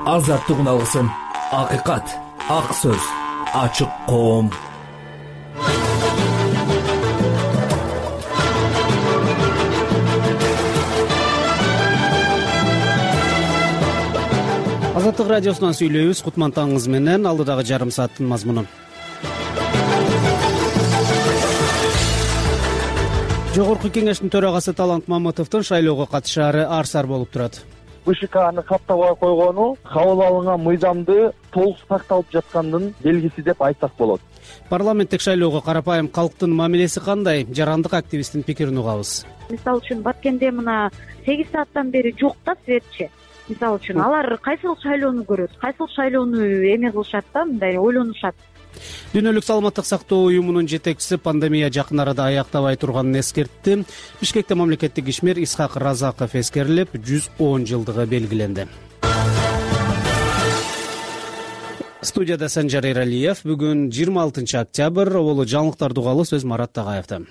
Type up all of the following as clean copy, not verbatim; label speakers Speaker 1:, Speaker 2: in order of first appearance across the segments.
Speaker 1: азаттык үналгысын, акыйкат, ак сөз, ачык коом.
Speaker 2: Азаттык радиосунан сүйлөйбүз. Кутман таңыңыз менен. Алдыдагы жарым сааттын мазмуну. Жогорку кеңештин төрагасы Талант Мамытовдун шайлоого катышаары ар-сар болуп турат.
Speaker 3: БШКны каттабай койгону кабыл алынган мыйзамды толук сакталып жаткандын белгиси деп айтсак болот.
Speaker 2: Парламенттик шайлоого карапайым калктын мамилеси кандай? Жарандык активисттин пикирин угабыз.
Speaker 4: Мисалы үчүн Баткенде мына 8 сааттан бери жок да светчи. Мисалы үчүн алар кайсыл шайлоону көрөт, кайсыл шайлоону эме кылышат да, мындай ойлонушат.
Speaker 2: Дүйнөлүк саламаттык сактоо уюмунун жетекчиси пандемия жакын арада аяктабай турганын эскертти. Бишкекте мамлекеттик ишмер Исхак Разаков эскерилип, 110 жылдыгы белгиленди. Студияда Санжар Эралиев. Бүгүн 26 октябрь. Оболу жаңылыктарды угалы, сөз Марат Тагаевда.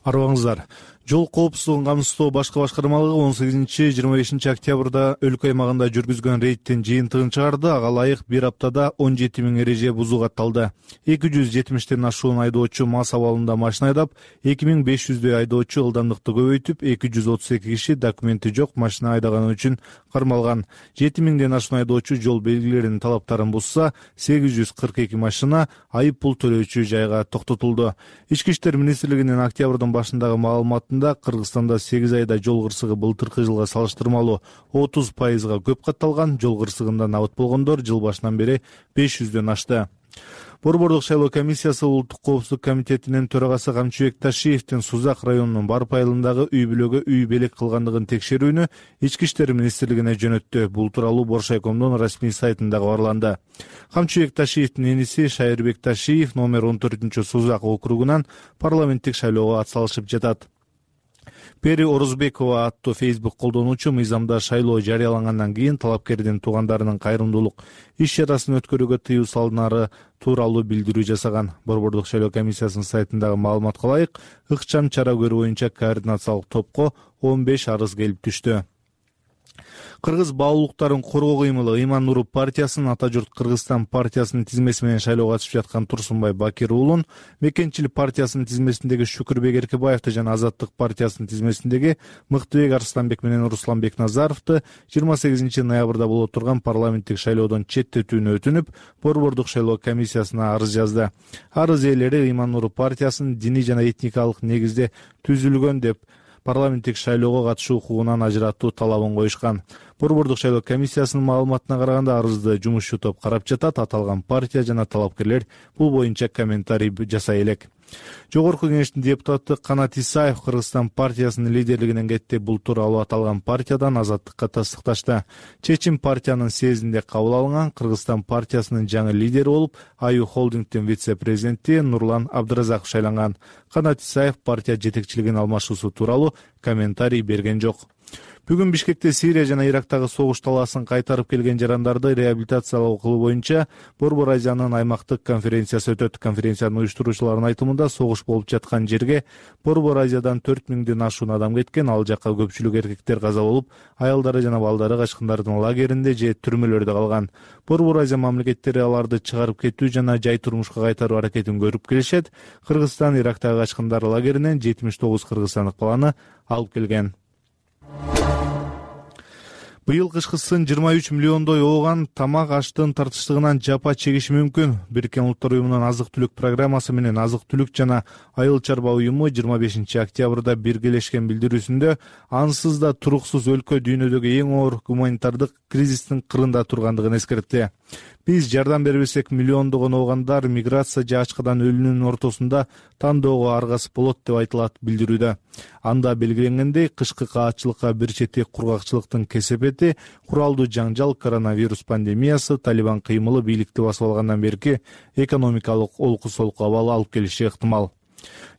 Speaker 5: Арыбаңыздар. Жол коопсуздугун камсыздоо башкы башкармалыгы 18-25 октябрда өлкө аймагында жүргүзгөн рейдтин жыйынтыгын чыгарды. Ага ылайык бир аптада 17 000 эреже бузуу катталды. 270ден ашуун айдоочу мас абалында машина айдап, 2500дөй айдоочу ылдамдыкты көбөйтүп, 232 киши документи жок машина айдаганы үчүн кармалган. 7000ден ашуун айдоочу жол белгилеринин талаптарын бузса, 842 машина айып пул төлөөчү жайга токтотулду. Ички иштер министрлигинин октябрдын башындагы маалыматында Кыргызстанда 8 айда жол кырсыгы былтыркы жылга салыштырмалуу 30% көп катталган. Жол кырсыгында набыт болгондор жыл башынан бери 500дөн ашты. Борбордук шайлоо комиссиясы Улуттук коопсуздук комитетинин төрагасы Камчыбек Ташиевдин Сузак районунун Барп айылындагы үй бүлөгө үй белек кылгандыгын текшерүүнү Ички иштер министрлигине жөнөттү. Бул тууралуу Боршайкомдун расмий сайтында кабарланды. Камчыбек Ташиевдин эниси Шайырбек Ташиев номер 14-Сузак округунан парламенттик шайлоого атсалышып жатат. Пери Орузбекова аттуу Facebook колдонуучу мыйзамда шайлоо жарыялангандан кийин талапкердин туугандарынын кайрымдуулук иш чарасын өткөрүүгө тыюу салынары тууралуу билдирүү жасаган. Борбордук шайлоо комиссиясынын сайтындагы маалыматка ылайык, ыкчам чара көрүү боюнча координациялык топко 15 арыз келип түштү. Кыргыз баалуулуктарын коргоо кыймылы Ыйман Нуруп партиясынын Ата журт Кыргызстан партиясынын тизмеси менен шайлоого катышып жаткан Турсунбай Бакир уулун, Мекенчил партиясынын тизмесиндеги Шүкүрбек Эркебаевди жана Азаттык партиясынын тизмесиндеги Мыктыбек Арсланбек менен Руслан Бекназаровду 28 ноябрда боло турган парламенттик шайлоодон четтетүүнү өтүнүп, борбордук шайлоо комиссиясына арыз жазды. Арыз ээлери Ыйман Нуруп партиясынын диний жана этникалык негизде түзүлгөн деп парламенттик шайлоого катышуу укугунан ажыратуу талабын коюшкан. Борбордук шайлоо комиссиясынын маалыматына караганда арызды жумушчу топ карап жатат. Аталган партия жана талапкерлер бул боюнча комментарий жасай элек. Жогорку кеңештин депутаты Канат Исаев Кыргызстан партиясынын лидерлигинен кетти. Бул тууралуу аталган партиядан Азаттыкка тастыкташты. Чечим партиянын съездинде кабыл алынган. Кыргызстан партиясынын жаңы лидери болуп Аю холдингдин вице-президенти Нурлан Абдыразаков шайланган. Канат Исаев партия жетекчилигин алмашуусу тууралуу комментарий берген жок. Бүгүн Бишкекте Сирия жана Ирактагы согуш талаасын кайтарып келген жарандарды реабилитациялоо кылуу боюнча Борбор Азиянын аймактык конференциясы өтөт. Конференциянын уюштуруучуларынын айтымында согуш болуп жаткан жерге Борбор Азиядан 4000ден ашуун адам кеткен. Ал жакка көпчүлүк эркектер каза болуп, аялдары жана балдары качкындардын лагеринде же түрмөлөрдө калган. Борбор Азия мамлекеттери аларды чыгарып кетүү жана жай турмушка кайтаруу аракетин көрүп келишет. Кыргызстан Ирактагы качкындар лагеринен 79 кыргызстандык баланы алып келген. Быйыл кышкысын 23 миллиондой ооган тамак аштын тартыштыгынан жапа чегиши мүмкүн. Бириккен Улуттар уюмунун азык-түлүк программасы менен азык-түлүк жана айыл чарба уюму 25 октябрда биргелешкен билдирүүсүндө ансыз да туруксуз өлкө дүйнөдөгү эң оор гуманитардык кризистин кырында тургандыгын эскертти. Биз жардам бербесек миллиондогон оогандар миграция же ачкадан өлүүнүн ортосунда тандоого аргасып болот деп айтылат билдирүүдө. Анда белгиленгендей, кышкы каатчылыкка бир чети кургакчылыктын кесепети, куралдуу жаңжал, коронавирус пандемиясы, Талибан кыймылы бийликти басып алгандан берки экономикалык олку-солку абал алып келиши ыктымал.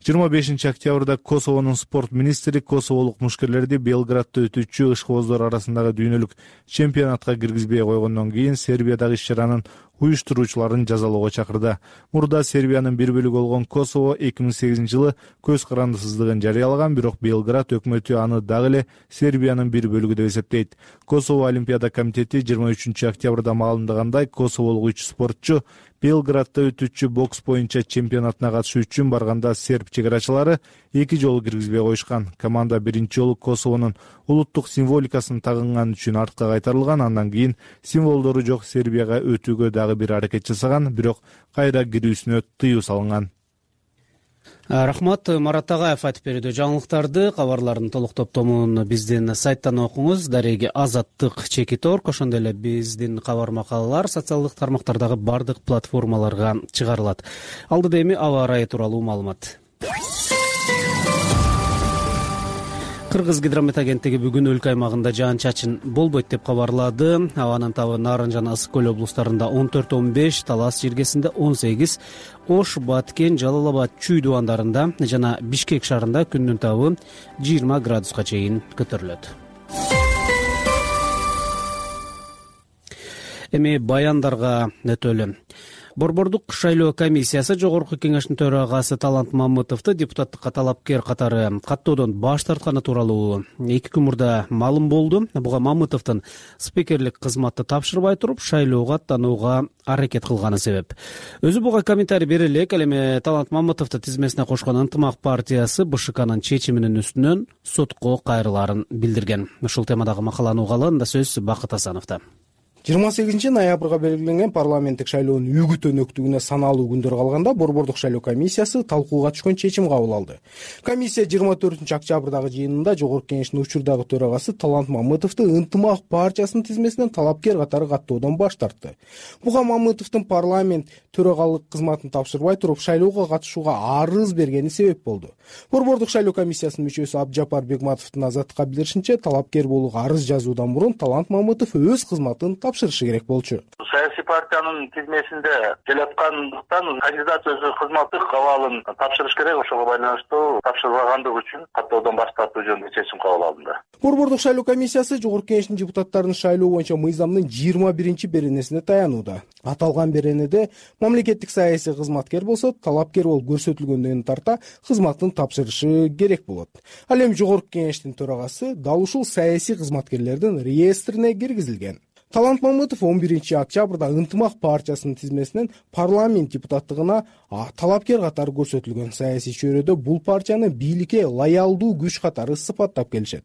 Speaker 5: 25 октябрда Косовонун спорт министри косоволук мушкерлерди Белградда өтүүчү ышкыбоздор арасындагы дүйнөлүк чемпионатка киргизбей койгондон кийин Сербиядагы иш чаранын уюштуруучуларын жазалоого чакырды. Мурда Сербиянын бир бөлүгү болгон Косово 2008-жылы көз карандысыздыгын жарыялаган, бирок Белград өкмөтү аны дагы эле Сербиянын бир бөлүгү деп эсептейт. Косово Олимпиада комитети 23-октябрда маалымдагандай, косоволук 3 спортчу Белградда өтүүчү бокс боюнча чемпионатына катышуу үчүн барганда серб чегарачылары 2 жолу киргизбей коюшкан. Команда биринчи жолу Косовонун улуттук символикасын тагынган үчүн артка кайтарылган, андан кийин символдору жок Сербияга өтүүгө дагы бир аракет жасаган, бирок кайра кирүүсүнө тыюу салынган.
Speaker 2: Рахмат. Марат Агаев айтып берүүдө жаңылыктарды. Кабарлардын толук топтомун биздин сайттан окуңуз. Дареги Азаттык Чекит.org, ошондой эле биздин кабар макалалар социалдык тармактардагы бардык платформаларга чыгарылат. Алдыда эми аба ырайы тууралуу маалымат. Кыргыз гидромет агенттиги бүгүн өлкө аймагында жаан-чачын болбойт деп кабарлады. Абанын табы Нарын жана Ысык көл облустарында 14-15, Талас жергесинде 18, Ош, Баткен, Жалал Абад, Чүй дубандарында жана Бишкек шаарында күндүн табы 20 градуска чейин көтөрүлөт. Эми баяндарга өтөлү. Борбордук шайлоо комиссиясы Жогорку кеңештин төрагасы Талант Мамытовду депутаттыкка талапкер катары каттоодон баш тартканы тууралуу 2 күн мурда маалым болду. Буга Мамытовдун спикерлик кызматты тапшырбай туруп шайлоого аттанууга аракет кылганы себеп. Өзү буга комментарий бере элек. Ал эми Талант Мамытовду тизмесине кошкон Ынтымак партиясы БШКнын чечиминин үстүнөн сотко кайрылаарын билдирген. Ушул темадагы макаланы угалганда сөз Бакыт Асановдо.
Speaker 6: 28 ноябрга белгиленген парламенттик шайлоонун үгүт өнөктүгүнө саналуу күндөр калганда Борбордук шайлоо комиссиясы талкууга түшкөн чечим кабыл алды. Комиссия 24-октябрдагы жыйынында Жогорку кеңештин учурдагы төрагасы Талант Мамытовду Ынтымак партиясынын тизмесинен талапкер катары каттоодон баш тартты. Буга Мамытовдун парламент төрагалык кызматын тапшырбай туруп шайлоого катышууга арыз бергени себеп болду. Борбордук шайлоо комиссиясынын мүчөсү Абджапар Бегматовдун Азаттыкка билдиришинче, талапкер болууга арыз жазуудан мурун Талант Мамытов өз кызматын тапшырышы керек болчу.
Speaker 7: Саясий партиянын тизмесинде келаткандыктан кандидат өзү кызматтык абалын тапшырыш керек, ошого байланыштуу тапшырбагандыгы үчүн каттоодон баш тартуу жөнүндө чечим кабыл алынды.
Speaker 6: Борбордук шайлоо комиссиясы Жогорку кеңештин депутаттарын шайлоо боюнча мыйзамдын 21-беренесине таянууда. Аталган беренеде мамлекеттик саясий кызматкер болсо, талапкер болуп көрсөтүлгөндөн тарта кызматын тапшырышы керек болот. Ал эми Жогорку кеңештин төрагасы дал ушул саясий кызматкерлердин реестрине киргизилген. Талант Мамытов 11-октябрда Ынтымак партиясынын тизмесинен парламент депутаттыгына талапкер катары көрсөтүлгөн. Саясий чөйрөдө бул партияны бийликке лоялдуу күч катары сыпаттап келишет.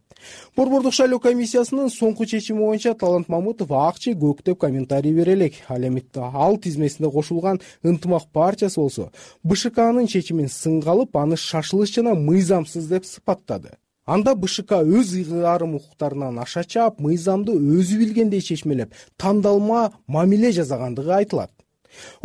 Speaker 6: Борбордук шайлоо комиссиясынын соңку чечими боюнча Талант Мамытов акчы көк деп комментарий бере элек. Ал эми ал тизмесине кошулган Ынтымак партиясы болсо БШКнын чечимин сынга алып, аны шашылыш жана мыйзамсыз деп сыпаттады. Анда БШК өз ыйгарым укуктарынан аша чаап, мыйзамды өзү билгендей чечмелеп, тандалма мамиле жасагандыгы айтылат.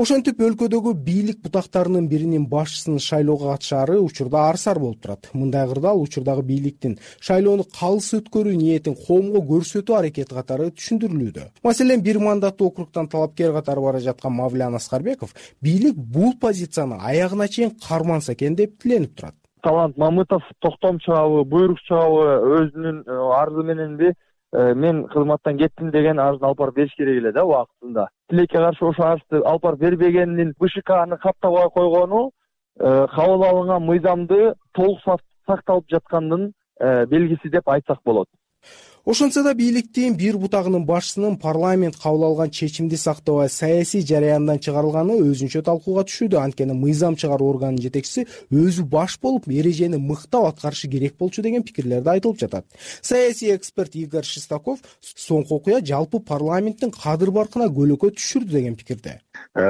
Speaker 6: Ошентип өлкөдөгү бийлик бутактарынын биринин башчысынын шайлоого катышаары учурда арсар болуп турат. Мындай кырдаал учурдагы бийликтин шайлоону калыс өткөрүү ниетин коомго көрсөтүү аракети катары түшүндүрүлүүдө. Маселен, бир мандаттуу округтан талапкер катары бара жаткан Мавлян Аскарбеков бийлик бул позицияны аягына чейин карманса экен деп тиленип турат.
Speaker 3: Талант Мамытов токтом чыгабы, буйрук чыгабы өзүнүн арызы мененби мен кызматтан кеттим деген арызын алып барып бериш керек эле да убактында. Тилекке каршы ошо арызды алып барып бербегенин БШКны каттабай койгону кабыл алынган мыйзамды толук сакталып жаткандын белгиси деп айтсак болот.
Speaker 6: Ошончо да бийликтин бир бутагынын башчысынын парламент кабыл алган чечимди сактабай саясий жараяндан чыгарылганы өзүнчө талкууга түшүүдө. Анткени мыйзам чыгаруу органынын жетекчиси өзү баш болуп, эрежени мыктап аткарышы керек болчу деген пикирлерди айтылып жатат. Саясий эксперт Игорь Шестаков соңку окуя жалпы парламенттин кадыр баркына көлөкө түшүрдү деген пикирде.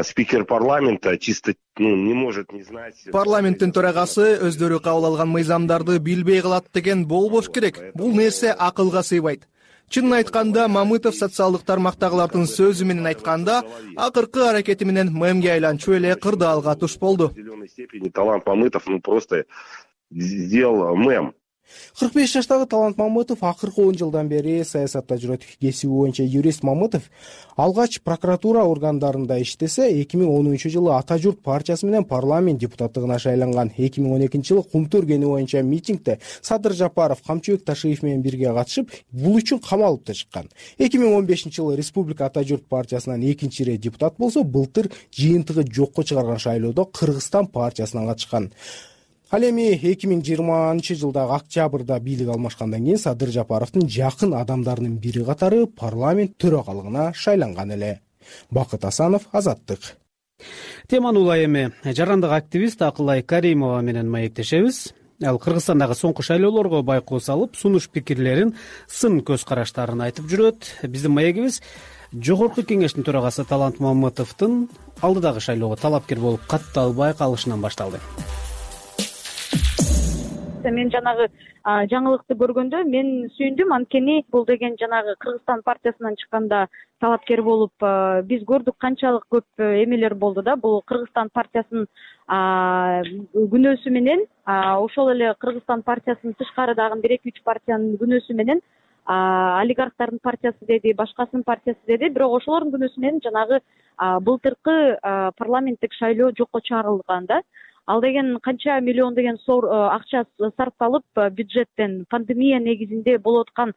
Speaker 8: Спикер парламента чисто не может не знать.
Speaker 9: Парламенттин төрагасы өздөрү кабыл алган мыйзамдарды билбей калат деген болбош керек. Бул нерсе акылга сыйбайт. Чынын айтканда, Мамытов социалдык тармактагылардын сөзү менен айтканда, акыркы аракети менен мемге айланчу эле кырдаалга туш болду.
Speaker 8: Талант Мамытов просто сделал мем.
Speaker 6: 45 жаштагы Талант Мамытов акыркы 10 жылдан бери саясатта жүрөт. Кесиби боюнча юрист Мамытов алгач прокуратура органдарында иштесе, 2010 жылы Ата журт партиясы менен парламент депутаттыгына шайланган. 2012 жылы Кумту өргени боюнча митингде Садыр Жапаров, Камчыбек Ташиев менен бирге катышып, бул үчүн камалып да чыккан. 2015 жылы Республика Ата журт партиясынан экинчи ирет депутат болсо, былтыр жыйынтыгы жокко чыгарган шайлоодо Кыргызстан партиясынан катышкан. Ал эми 2020 жылдагы октябрда бийлик алмашкандан кийин Садыр Жапаровдун жакын адамдарынын бири катары парламент төрагалыгына шайланган эле. Бакыт Асанов, Азаттык.
Speaker 2: Теманы улай эми жарандык активист Акылай Каримова менен маектешебиз. Ал Кыргызстандагы соңку шайлоолорго байкоо салып, сунуш пикирлерин, сын көз караштарын айтып жүрөт. Биздин маегибиз Жогорку кеңештин төрагасы Талант Мамытовдун алдыдагы шайлоого талапкер болуп катталбай калышынан башталды.
Speaker 4: Мен жанагы жаңылыкты көргөндө мен сүйүндүм, анткени бул деген жанагы Кыргызстан партиясынан чыкканда талапкер болуп биз көрдүк канчалык көп эмелер болду да. Бул Кыргызстан партиясынын күнөөсү менен, ошол эле Кыргызстан партиясынын тышкарыдагы 1-2-3 партиянын күнөөсү менен, олигархтардын партиясы деди, башкасынын партиясы деди, бирок ошолордун күнөөсү менен жанагы былтыркы парламенттик шайлоо жокко чыгарылган да. Ал деген канча миллион деген акча сарпталып, бюджеттен пандемия негизинде болуп аткан,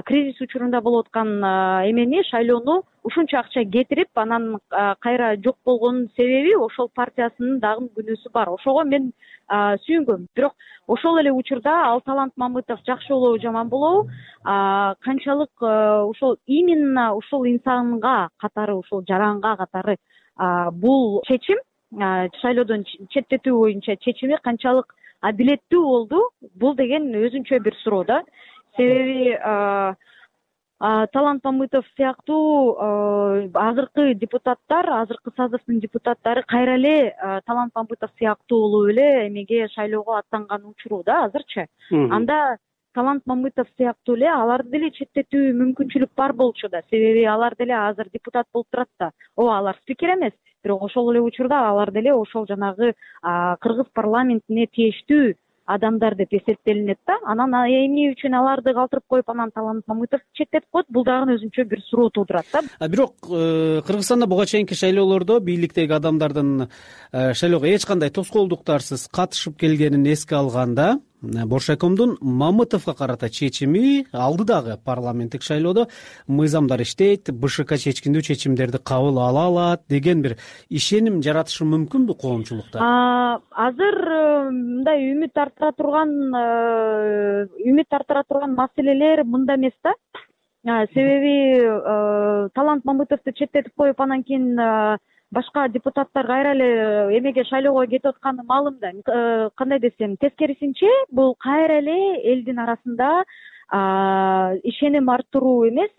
Speaker 4: кризис учурунда болуп аткан эмени, шайлоону ушунча акча кетирип, анан кайра жок болгонун себеби ошол партиясынын дагы күнөөсү бар. Ошого мен сүйүнгөм. Бирок ошол эле учурда ал Талант Мамытов жакшы болобу, жаман болобу, канчалык ошол именно ушул инсанга катары, ушул жаранга катары бул чечим, шайлоодон четтетүү боюнча чечими канчалык адилеттүү болду, бул деген өзүнчө бир суроо да. Себеби Талант Мамытов сыяктуу азыркы депутаттар, азыркы созывдун депутаттары кайра эле Талант Мамытов сыяктуу болуп эле эмеге шайлоого аттанган учуру да азырчы. Анда Талант Мамытов сыяктуу эле аларды деле четтетүү мүмкүнчүлүк бар болчу да. Себеби алар деле азыр депутат болуп турат да. Алар спикер эмес, бирок ошол эле учурда алар деле ошол жанагы кыргыз парламентине тийиштүү адамдар деп эсептелинет да. Анан эмне үчүн аларды калтырып коюп, анан Талант Мамытов четтетип коет, бул дагы өзүнчө бир суроо туудурат да. Бирок
Speaker 2: Кыргызстанда буга чейинки шайлоолордо бийликтеги адамдардын шайлоого эч кандай тоскоолдуктарсыз катышып келгенин эске алганда, Боршайкомдун Мамытовго карата чечими алдыдагы парламенттик шайлоодо мыйзамдар иштейт, БШК чечкиндүү чечимдерди кабыл ала алат деген бир ишеним жаратышы мүмкүнбү коомчулукта?
Speaker 4: Азыр мындай үмүт тартыра турган маселелер мында эмес да. Себеби Талант Мамытовду четтетип коюп, анан кийин башка депутаттар кайра эле эмеге шайлоого кетип атканы маалым да. Кандай десем, тескерисинче бул кайра эле элдин арасында ишеним арттыруу эмес,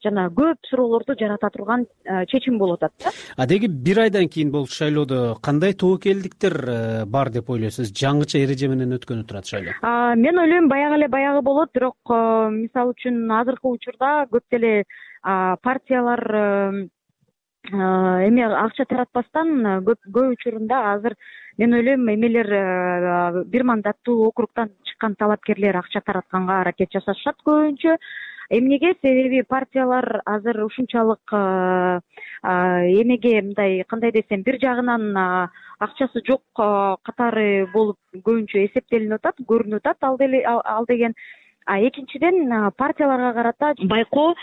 Speaker 4: жана көп суроолорду жарата турган чечим болуп атат да.
Speaker 2: Деги бир айдан кийин болчу шайлоодо кандай тобокелдиктер бар деп ойлойсуз? Жаңыча эреже менен өткөнү турат шайлоо.
Speaker 4: Мен ойлойм баягы болот, бирок мисалы үчүн азыркы учурда көп деле партиялар эме акча таратпастан көп учурунда азыр мен ойлойм эмелер бир мандаттуу округтан чыккан талапкерлер акча таратканга аракет жасашат көбүнчө. Эмнеге? Себеби партиялар азыр ушунчалык эмеге мындай, кандай десем, бир жагынан акчасы жок катары болуп көбүнчө эсептелинип атат, көрүнүп атат ал деген. Экинчиден, партияларга карата байкоо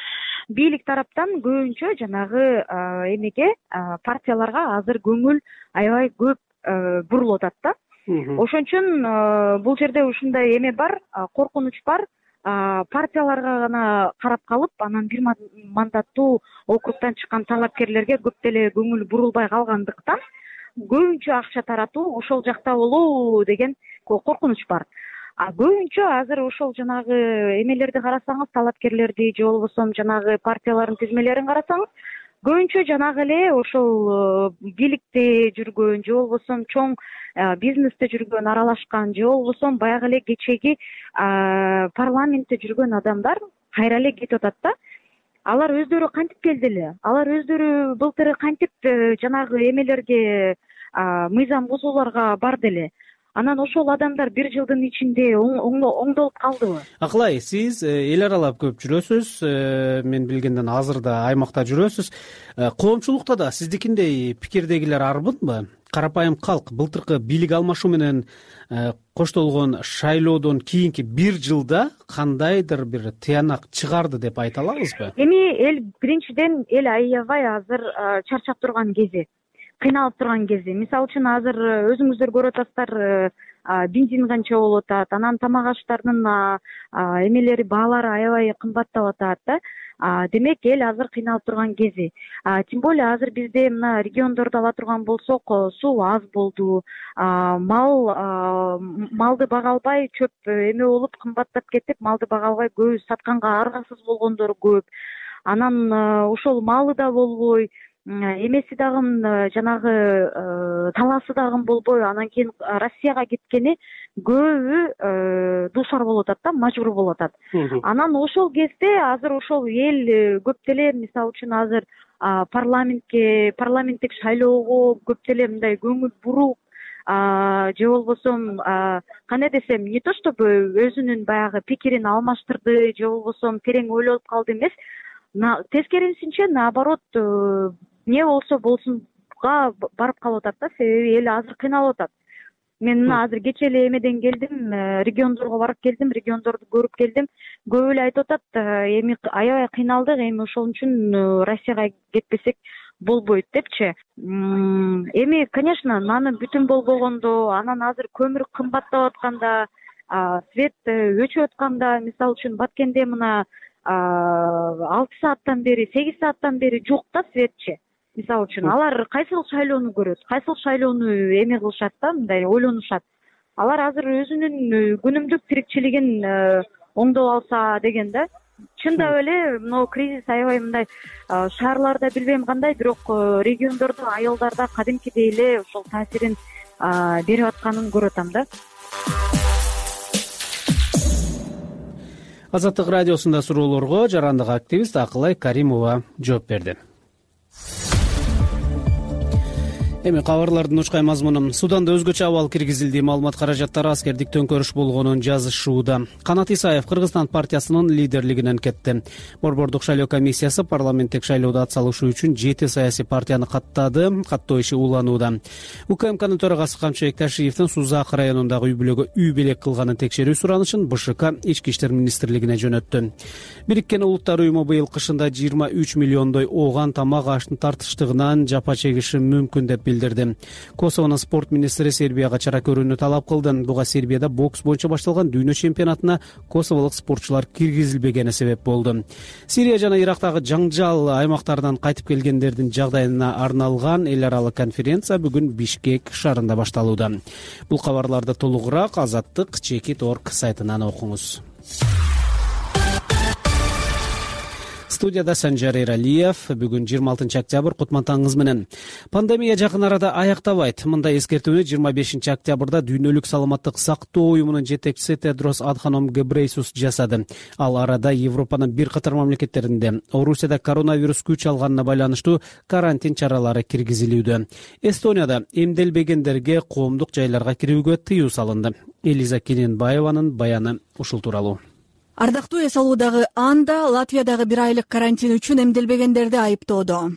Speaker 4: бийлик тараптан көбүнчө жанагы эмеге, партияларга азыр көңүл аябай көп бурулуп атат да. Ошон үчүн бул жерде ушундай эме бар, коркунуч бар. Партияларга гана карап калып, анан бир мандаттуу округтан чыккан талапкерлерге көп деле көңүл бурулбай калгандыктан көбүнчө акча таратуу ошол жакта болуу деген коркунуч бар. Көбүнчө азыр ошол жанагы эмелерди карасаңыз, талапкерлерди же болбосо жанагы партиялардын тизмелерин карасаңыз, көбүнчө жанагы эле ошол бийликте жүргөн же болбосо чоң бизнесте жүргөн, аралашкан же болбосо баягы эле кечеги парламентте жүргөн адамдар кайра эле кетип атат да. Алар өздөрү кантип келди эле? Алар өздөрү былтыр кантип жанагы эмелерге, мыйзам бузууларга барды эле? Анан ошол адамдар бир жылдын ичинде оңдолуп калдыбы?
Speaker 2: Акылай, сиз эл аралап көп жүрөсүз, мен билгенден азыр да аймакта жүрөсүз. Коомчулукта да сиздикиндей пикирдегилер арбынбы? Карапайым калк былтыркы бийлик алмашуу менен коштолгон шайлоодон кийинки бир жылда кандайдыр бир тыянак чыгарды деп айта алабызбы?
Speaker 4: Эми эл биринчиден эл аябай азыр чарчап турган кези, кыйналып турган кези. Мисалы үчүн азыр өзүңүздөр көрүп атасыздар, бензин канча болуп атат, анан тамак аштардын эмелери баалары аябай кымбаттап атат да. Демек эл азыр кыйналып турган кези. Тем более азыр бизде мына региондорду ала турган болсок, суу аз болду, малды бага албай чөп эме болуп кымбаттап кетип, малды бага албай көбү сатканга аргасыз болгондор көп. Анан ошол малы да болбой, эмеси дагы жанагы талаасы дагы болбой, анан кийин Россияга кеткени көбү дуушар болуп атат да, мажбур болуп атат. Анан ошол кезде азыр ошол эл көп деле, мисалы үчүн азыр парламенттик шайлоого көп деле мындай көңүл буруп, же болбосо кандай десем, не то чтобы өзүнүн баягы пикирин алмаштырды, же болбосо терең ойлонуп калды эмес, тескерисинче наоборот не болсо болсунга барып калып атат да, себеби эл азыр кыйналып атат. Мен мына азыр кечээ эле эмеден келдим, региондорго барып келдим, региондорду көрүп келдим. Көп эле айтып атат, эми аябай кыйналдык, эми ошол үчүн Россияга кетпесек болбойт депчи. Эми, конечно, наны бүтүн болбогондо, анан азыр көмүр кымбаттап атканда, свет өчүп атканда, мисалы үчүн Баткенде мына 6 сааттан бери, 8 сааттан бери жок да светчи. Мисалы үчүн алар кайсыл шайлоону көрөт, кайсыл шайлоону эме кылышат да, мындай ойлонушат. Алар азыр өзүнүн күнүмдүк тирикчилигин оңдоп алса деген да. Чындап эле мына кризис аябай мындай шаарларда билбейм кандай, бирок региондордо, айылдарда кадимкидей эле ошол таасирин берип атканын көрүп атам да.
Speaker 2: Азаттык радиосунда суроолорго жарандык активист Акылай Каримова жооп берди. Эми кабарлардын учкай мазмуну. Суданда өзгөчө абал киргизилди. Маалымат каражаттары аскердик төңкөрүш болгонун жазышууда. Канат Исаев Кыргызстан партиясынын лидерлигинен кетти. Борбордук шайлоо комиссиясы парламенттик шайлоодо ат салышуу үчүн 7 саясий партияны каттады. Каттоо иши уланууда. УКМКнын төрагасы Камчыбек Ташиевдин Сузак районундагы үй бүлөгө үй белек кылганын текшерүү суранышын БШК Ички иштер министрлигине жөнөттү. Бириккен Улуттар уюму быйыл кышында 23 миллиондой ооган тамак аштын тартыштыгынан жапа чегиши мүмкүн деп билдирди. Косовонун спорт министри Сербияга чара көрүүнү талап кылды. Буга Сербияда бокс боюнча башталган дүйнө чемпионатына косоволук спортчулар киргизилбегени себеп болду. Сирия жана Ирактагы жаңжал аймактарынан кайтып келгендердин жагдайына арналган эл аралык конференция бүгүн Бишкек шаарында башталууда. Бул кабарларды толугураак Азаттык.org сайтынан окуңуз. Студияда Санжар Эралиев. Бүгүн 26 октябрь, кутмантаңыз менен. Пандемия жакын арада аяктабайт. Мындай эскертүүнү 25 октябрда Дүйнөлүк саламаттык сактоо уюмунун жетекчиси Тедрос Адханом Гебрейсус жасады. Ал арада Европанын бир катар мамлекеттеринде Орусияда коронавирус күч алганына байланыштуу карантин чаралары киргизилүүдө. Эстонияда эмделбегендерге коомдук жайларга кирүүгө тыюу салынды. Элиза Кененбаеванын баяны ушул тууралуу.
Speaker 10: Ардактуу эс алуудагы Анда Латвиядагы бир айлык карантин үчүн эмделбегендерди айыптоодо.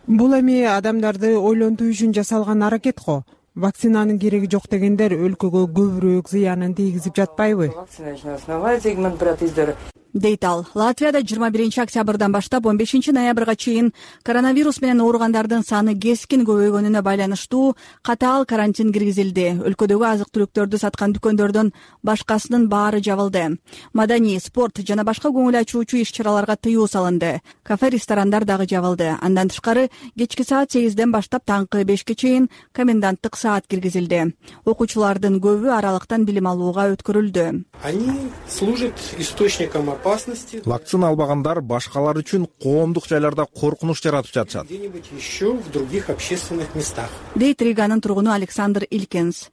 Speaker 11: Бул эми адамдарды ойлонтуу үчүн жасалган аракет го. Вакцинанын кереги жок дегендер өлкөгө көбүрөөк зыянын тийгизип жатпайбы?
Speaker 10: Дейт ал. Латвияда 21 октябрдан баштап 15 ноябрга чейин коронавирус менен ооругандардын саны кескин көбөйгөнүнө байланыштуу катаал карантин киргизилди. Өлкөдөгү азык-түлүктөрдү саткан дүкөндөрдүн башкасынын баары жабылды. Маданий, спорт жана башка көңүл ачуучу иш-чараларга тыюу салынды. Кафе, ресторандар дагы жабылды. Андан тышкары кечки саат 8ден баштап таңкы 5ке чейин коменданттык саат киргизилди. Окуучулардын көбү аралыктан билим алууга өткөрүлдү.
Speaker 6: Они служат источником опасности.
Speaker 12: Вакцина албагандар башкалар үчүн коомдук жайларда коркунуч жаратып жатышат.
Speaker 6: Где-нибудь еще в других общественных местах.
Speaker 10: Дейт Риганын тургуну Александр Илькенс.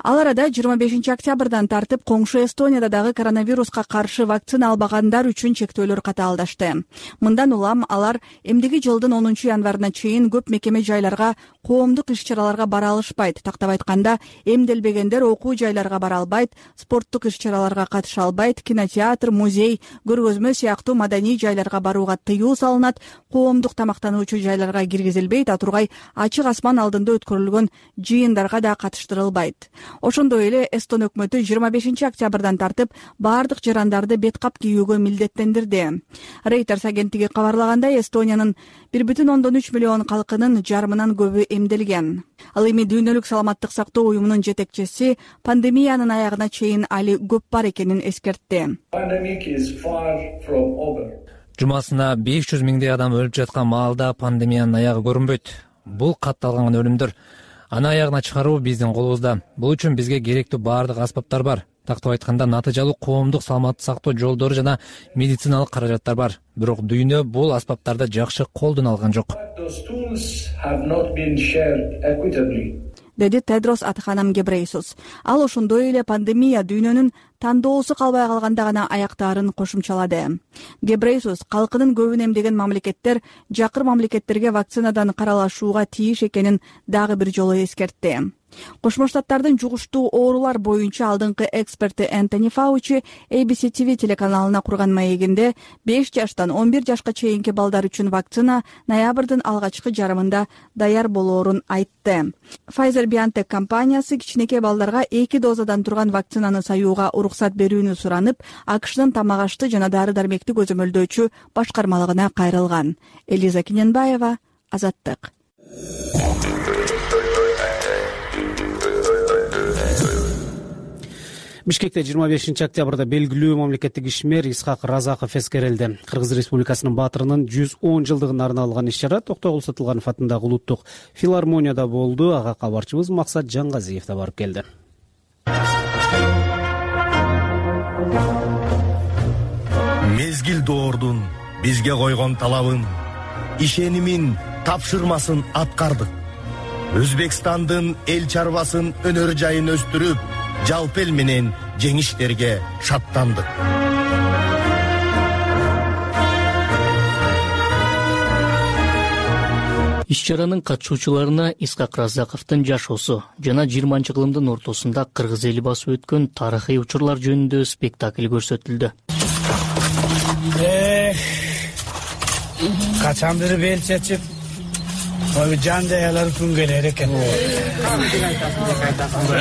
Speaker 10: Ал арада 25 октябрдан тартып коңшу Эстонияда дагы коронавируска каршы вакцина албагандар үчүн чектөөлөр катаалдашты. Мындан улам алар эмдиги жылдын 10 январына чейин көп мекеме жайларга коомдук иш-чараларга бара алышпайт. Тактап айтканда, эмделбегендер окуу жайларга бара албайт, спорттук иш-чараларга катыша албайт, кинотеатр, музей, көргөзмө сыяктуу маданий жайларга барууга тыюу салынат, коомдук тамактануучу жайларга киргизилбейт, а тургай ачык асман алдында өткөрүлгөн жыйындарга да катыштырылбайт. Ошондой эле Эстон өкмөтү 25 октябрдан тартып баардык жарандарды бет кап кийүүгө милдеттендирди. Reuters агенттиги кабарлагандай, Эстониянын 1,3 миллион калкынын жарымынан көбү эмделген. Ал эми дүйнөлүк саламаттык сактоо уюмунун жетекчиси пандемиянын аягына чейин али көп бар экенин эскертти.
Speaker 13: Жумасына 500 миңдей адам өлүп жаткан маалда пандемиянын аягы көрүнбөйт. Бул катталган өлүмдөр. Аны аягына чыгаруу биздин колубузда. Бул үчүн бизге керектүү баардык аспаптар бар. Тактап айтканда, натыйжалуу коомдук саламаттык сактоо жолдору жана медициналык каражаттар бар. Бирок дүйнө бул аспаптарды жакшы колдон алган жок.
Speaker 10: Деди Тедрос Адханам Гебрейсус. Ал ошондой эле пандемия дүйнөнүн тандоосу калбай калганда гана аяктаарын кошумчалады. Гебрейсус калкынын көбүн эмдеген мамлекеттер жакыр мамлекеттерге вакцинадан каралашууга тийиш экенин дагы бир жолу эскертти. Кошмо Штаттардын жугуштуу оорулар боюнча алдыңкы эксперти Энтони Фаучи ABC TV телеканалына курган маегинде 5 жаштан 11 жашка чейинки балдар үчүн вакцина ноябрдын алгачкы жарымында даяр болоорун айтты. Pfizer-BioNTech компаниясы кичинекей балдарга 2 дозадан турган вакцинаны саюуга уруксат берүүнү суранып, АКШнын тамак-ашты жана дары-дармекти көзөмөлдөөчү башкармалыгына кайрылган. Элиза Киненбаева, Азаттык.
Speaker 2: Бишкекте 25 октябрда белгилүү мамлекеттик ишмер Исхак Разаков эскерилди. Кыргыз Республикасынын баатырынын 110 жылдыгына арналган иш-чара Токтогул Сатылганов атындагы улуттук филармонияда болду. Ага кабарчыбыз Максат Жаңгазиев да барып келди.
Speaker 14: Мезгил доордун бизге койгон талабын, ишенимин, тапшырмасын аткардык. Өзбекстандын эл чарбасын, өнөр жайын өстүрүп, жалпы эл менен жеңиштерге шаттандык.
Speaker 15: Иш-чаранын катышуучуларына Исхак Разаковдун жашоосу жана 20-кылымдын ортосунда кыргыз эли басып өткөн тарыхый учурлар жөнүндө спектакль көрсөтүлдү.
Speaker 16: Качандыр бел чечип, жан жаялар күн келер экен.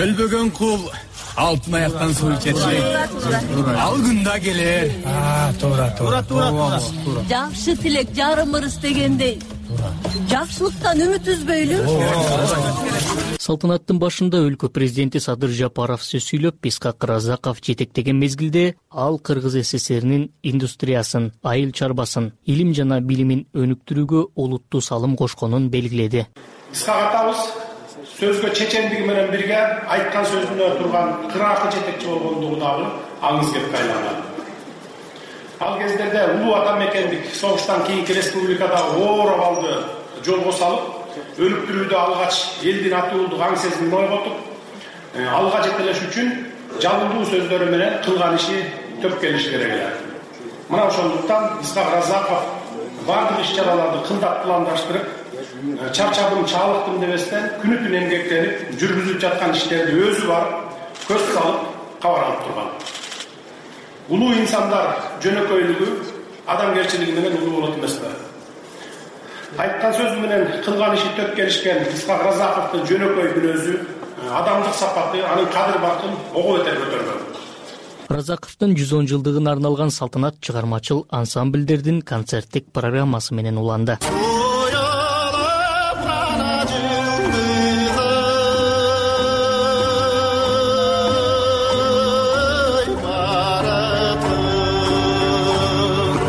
Speaker 16: Өлбөгөн кул алтын аяктан суу ичет. Ал күн да келер. Туура.
Speaker 17: Жакшы тилек жарым ырыс дегендей. Жакшылыктан үмүт үзбөйлү.
Speaker 15: Салтанаттын башында өлкө президенти Садыр Жапаров сөз сүйлөп, Исхак Разаков жетектеген мезгилде ал Кыргыз СССРинин индустриясын, айыл чарбасын, илим жана билимин өнүктүрүүгө олуттуу салым кошконун белгиледи.
Speaker 18: Исхак атабыз сөзгө чечендиги менен бирге айткан сөзүнө турган кыракы жетекчи болгондугу дагы аңыз кепке айланган. Ал кездерде улуу ата мекендик согуштан кийинки республикада оор абалды жолго салып, өнүктүрүүдө алгач элдин атуулдук аң сезимин ойготуп, алга жетелеш үчүн жалындуу сөздөрү менен кылган иши төп келиш керек эле. Мына ошондуктан Исхак Разаков бардык иш-чараларды кылдап пландаштырып, чарчабым, чаалыктым дебестен күнү-түн эмгектенип, жүргүзүп жаткан иштерди өзү барып, көз салып, кабар алып турган. Улуу инсандар жөнөкөйлүгү, адамгерчилиги менен улуу болот эмеспи? Айткан сөзү менен кылган иши төп келишкен Исхак Разаковдун жөнөкөй мүнөзү, адамдык сапаты анын кадыр-бакын ого бетер көтөргөн.
Speaker 15: Разаковдун 110 жылдыгына арналган салтанат чыгармачыл ансамбльдердин концерттик программасы менен уланды.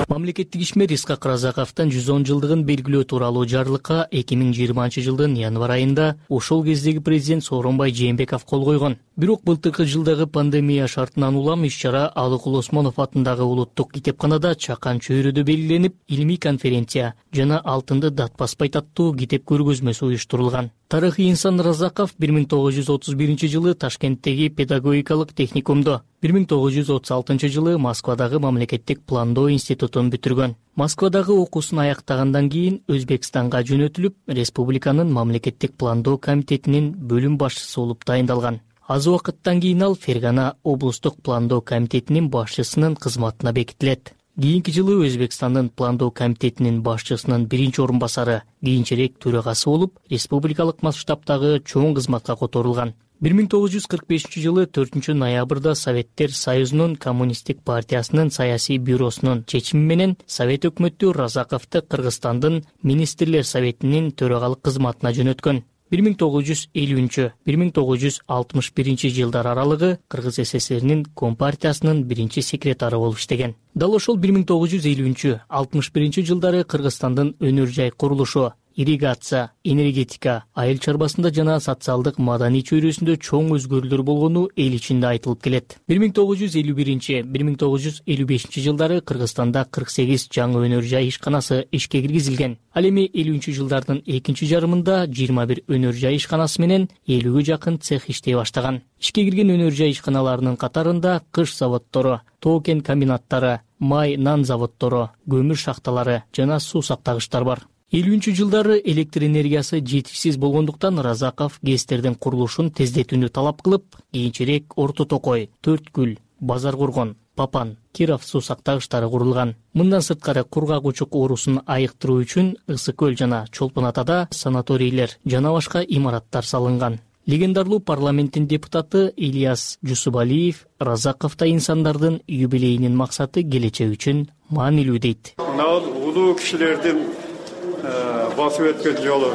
Speaker 15: Мамлекеттик ишмер Исхак Разаковдун 110 жылдыгын белгилөө тууралуу жарлыкка 2020 жылдын январь айында ошол кездеги президент Сооронбай Жээнбеков кол койгон. Бирок былтыркы жылдагы пандемия шартынан улам иш-чара Алыкул Осмонов атындагы улуттук китепканада Чакан чөйрөдө белгиленип, илимий конференция жана Алтынды дат баспайт аттуу китеп көргөзмөсү уюштурулган. Тарыхый инсан Разаков 1931 жылы Ташкенттеги педагогикалык техникумду, 1936 жылы Москвадагы мамлекеттик пландоо институтун бүтүргөн. Москвадагы окуусун аяктагандан кийин Өзбекстанга жөнөтүлүп, республиканын мамлекеттик пландоо комитетинин бөлүм башчысы болуп дайындалган. Аз убакыттан кийин ал Фергана облустук пландоо комитетинин башчысынын кызматына бекитилет. Кийинки жылы Өзбекстандын пландоо комитетинин башчысынын биринчи орун басары, кийинчерээк төрагасы болуп, республикалык масштабтагы чоң кызматка которулган. 1945 жылы 4 ноябрда Советтер Союзунун Коммунисттик партиясынын саясий бюросунун чечими менен Совет өкмөтү Разаковду Кыргызстандын Министрлер Советинин төрагалык кызматына жөнөткөн. 1950-1961 жылдар аралыгы Кыргыз СССРнин Компартиясынын биринчи секретары болуп иштеген. Дал ошол 1950-61 жылдары Кыргызстандын өнөр жай курулушу, ирригация, энергетика, айыл чарбасында жана социалдык маданий чөйрөсүндө чоң өзгөрүүлөр болгону эл ичинде айтылып келет. 1951-1955 жылдары Кыргызстанда 48 жаңы өнөр жай ишканасы ишке киргизилген. Ал эми 50 жылдардын экинчи жарымында 21 өнөр жай ишканасы менен 50-гө жакын цех иштей баштаган. Ишке кирген өнөр жай ишканаларынын катарында кыш заводдору, тоо-кен комбинаттары, май нан заводдору, көмүр шахталары жана суу сактагычтар бар. 50 жылдары электр энергиясы жетишсиз болгондуктан Разаков ГЭСтердин курулушун тездетүүнү талап кылып, кийинчерээк Орто Токой, Төрткүл, Базар Кургон, Папан, Киров суу сактагычтары курулган. Мындан сырткары кургак учук оорусун айыктыруу үчүн Ысык көл жана Чолпон Атада санаторийлер жана башка имараттар салынган. Легендарлуу парламенттин депутаты Ильяс Жусубалиев Разаковдо инсандардын юбилейинин максаты келечек үчүн маанилүү дейт.
Speaker 19: Улуу кишилердин басып өткөн жолу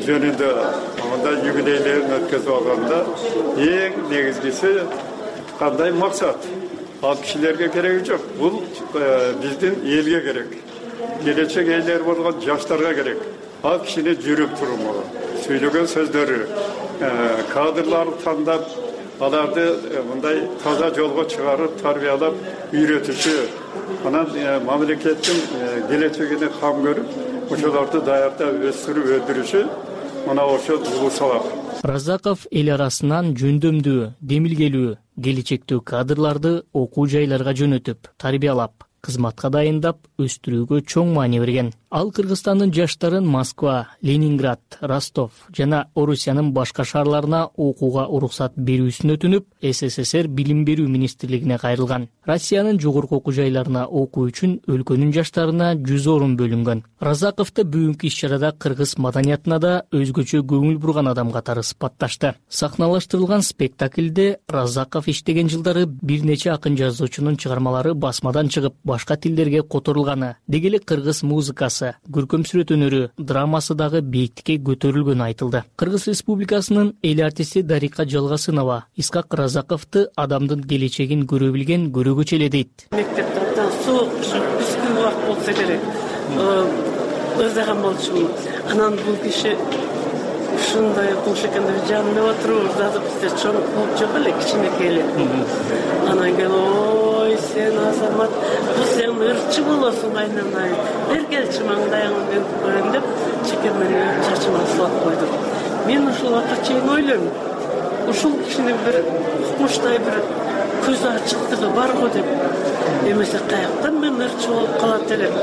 Speaker 19: жөнүндө мындай юбилейлерин өткөзүп алганда эң негизгиси кандай максат? Ал кишилерге кереги жок. Бул биздин элге керек. Келечек эйлер болгон жаштарга керек. Ал кишини жүрүп туруму, сүйлөгөн сөздөрү, кадрларды тандап, аларды мындай таза жолго чыгарып, тарбиялап, үйрөтүшү, анан мамлекеттин келечегине кам көрүп, ошолорду даярдап өстүрүп өндүрүшү мына ошол улуу сабак.
Speaker 15: Разаков эл арасынан жөндөмдүү, демилгелүү, келечектүү кадрларды окуу жайларга жөнөтүп, тарбиялап, кызматка дайындап, өстүрүүгө чоң маани берген. Ал Кыргызстандын жаштарын Москва, Ленинград, Ростов жана Орусиянын башка шаарларына окууга уруксат берүүсүн өтүнүп, СССР билим берүү министрлигине кайрылган. Россиянын жогорку окуу жайларына окуу үчүн өлкөнүн жаштарына 100 орун бөлүнгөн. Разаковду бүгүнкү иш-чарада кыргыз маданиятына да өзгөчө көңүл бурган адам катары сыпатташты. Сахналаштырылган спектакльде Разаков иштеген жылдары бир нече акын жазуучунун чыгармалары басмадан чыгып, башка тилдерге которулганы, деги эле кыргыз музыкасы, көркөм сүрөт өнөрү, драмасы дагы бийиктикке көтөрүлгөнү айтылды. Кыргыз Республикасынын эл артисти Дарика Жалгасынова Исхак Разаковду адамдын келечегин көрө билген көрөгөч эле дейт.
Speaker 20: Мектепте суук бүскүл убакыт болсо керек. Өздөгөн болчумун. Анан бул киши ушундай окумуш экенде жанында отуруп, дагы бизде чоң клуб жок эле, кичинекей эле. Анан келип, ой, сен Азамат, сен ырчы болосуң айнанай. Бергелчи маңдайыңды мен көрөм деп, чекемени чачыма салып койдум. Мен ушул убакка чейин ойлойм. Ушул кишинин бир укмуштай бир көзү ачыктыгы барго деп. Эмесе каяктан мен ырчы болуп калат элем.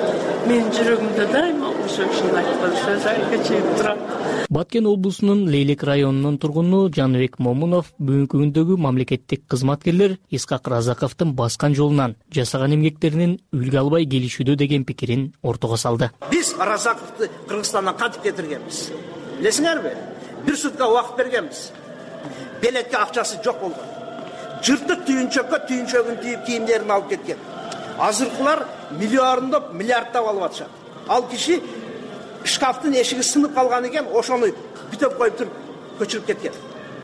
Speaker 20: Менин жүрөгүмдө дайыма ошол кишинин айткан сөзү айга чейин турат.
Speaker 15: Баткен облусунун Лейлек районунун тургуну Жаныбек Момунов бүгүнкү күндөгү мамлекеттик кызматкерлер Исхак Разаковдун баскан жолунан, жасаган эмгектеринин үлгү албай келишүүдө деген пикирин ортого салды.
Speaker 21: Биз Разаковду Кыргызстандан кантип кетиргенбиз? Билесиңерби? Бир сутка убакыт бергенбиз. Белекке акчасы жок болгон. Жыртык түйүнчөккө тийип кийимдерин алып кеткен. Азыркылар миллиардап, миллиардтап алып атышат. Ал киши шкафтын эшиги сынып калган экен, ошону бүтөп коюп туруп көчүрүп кеткен.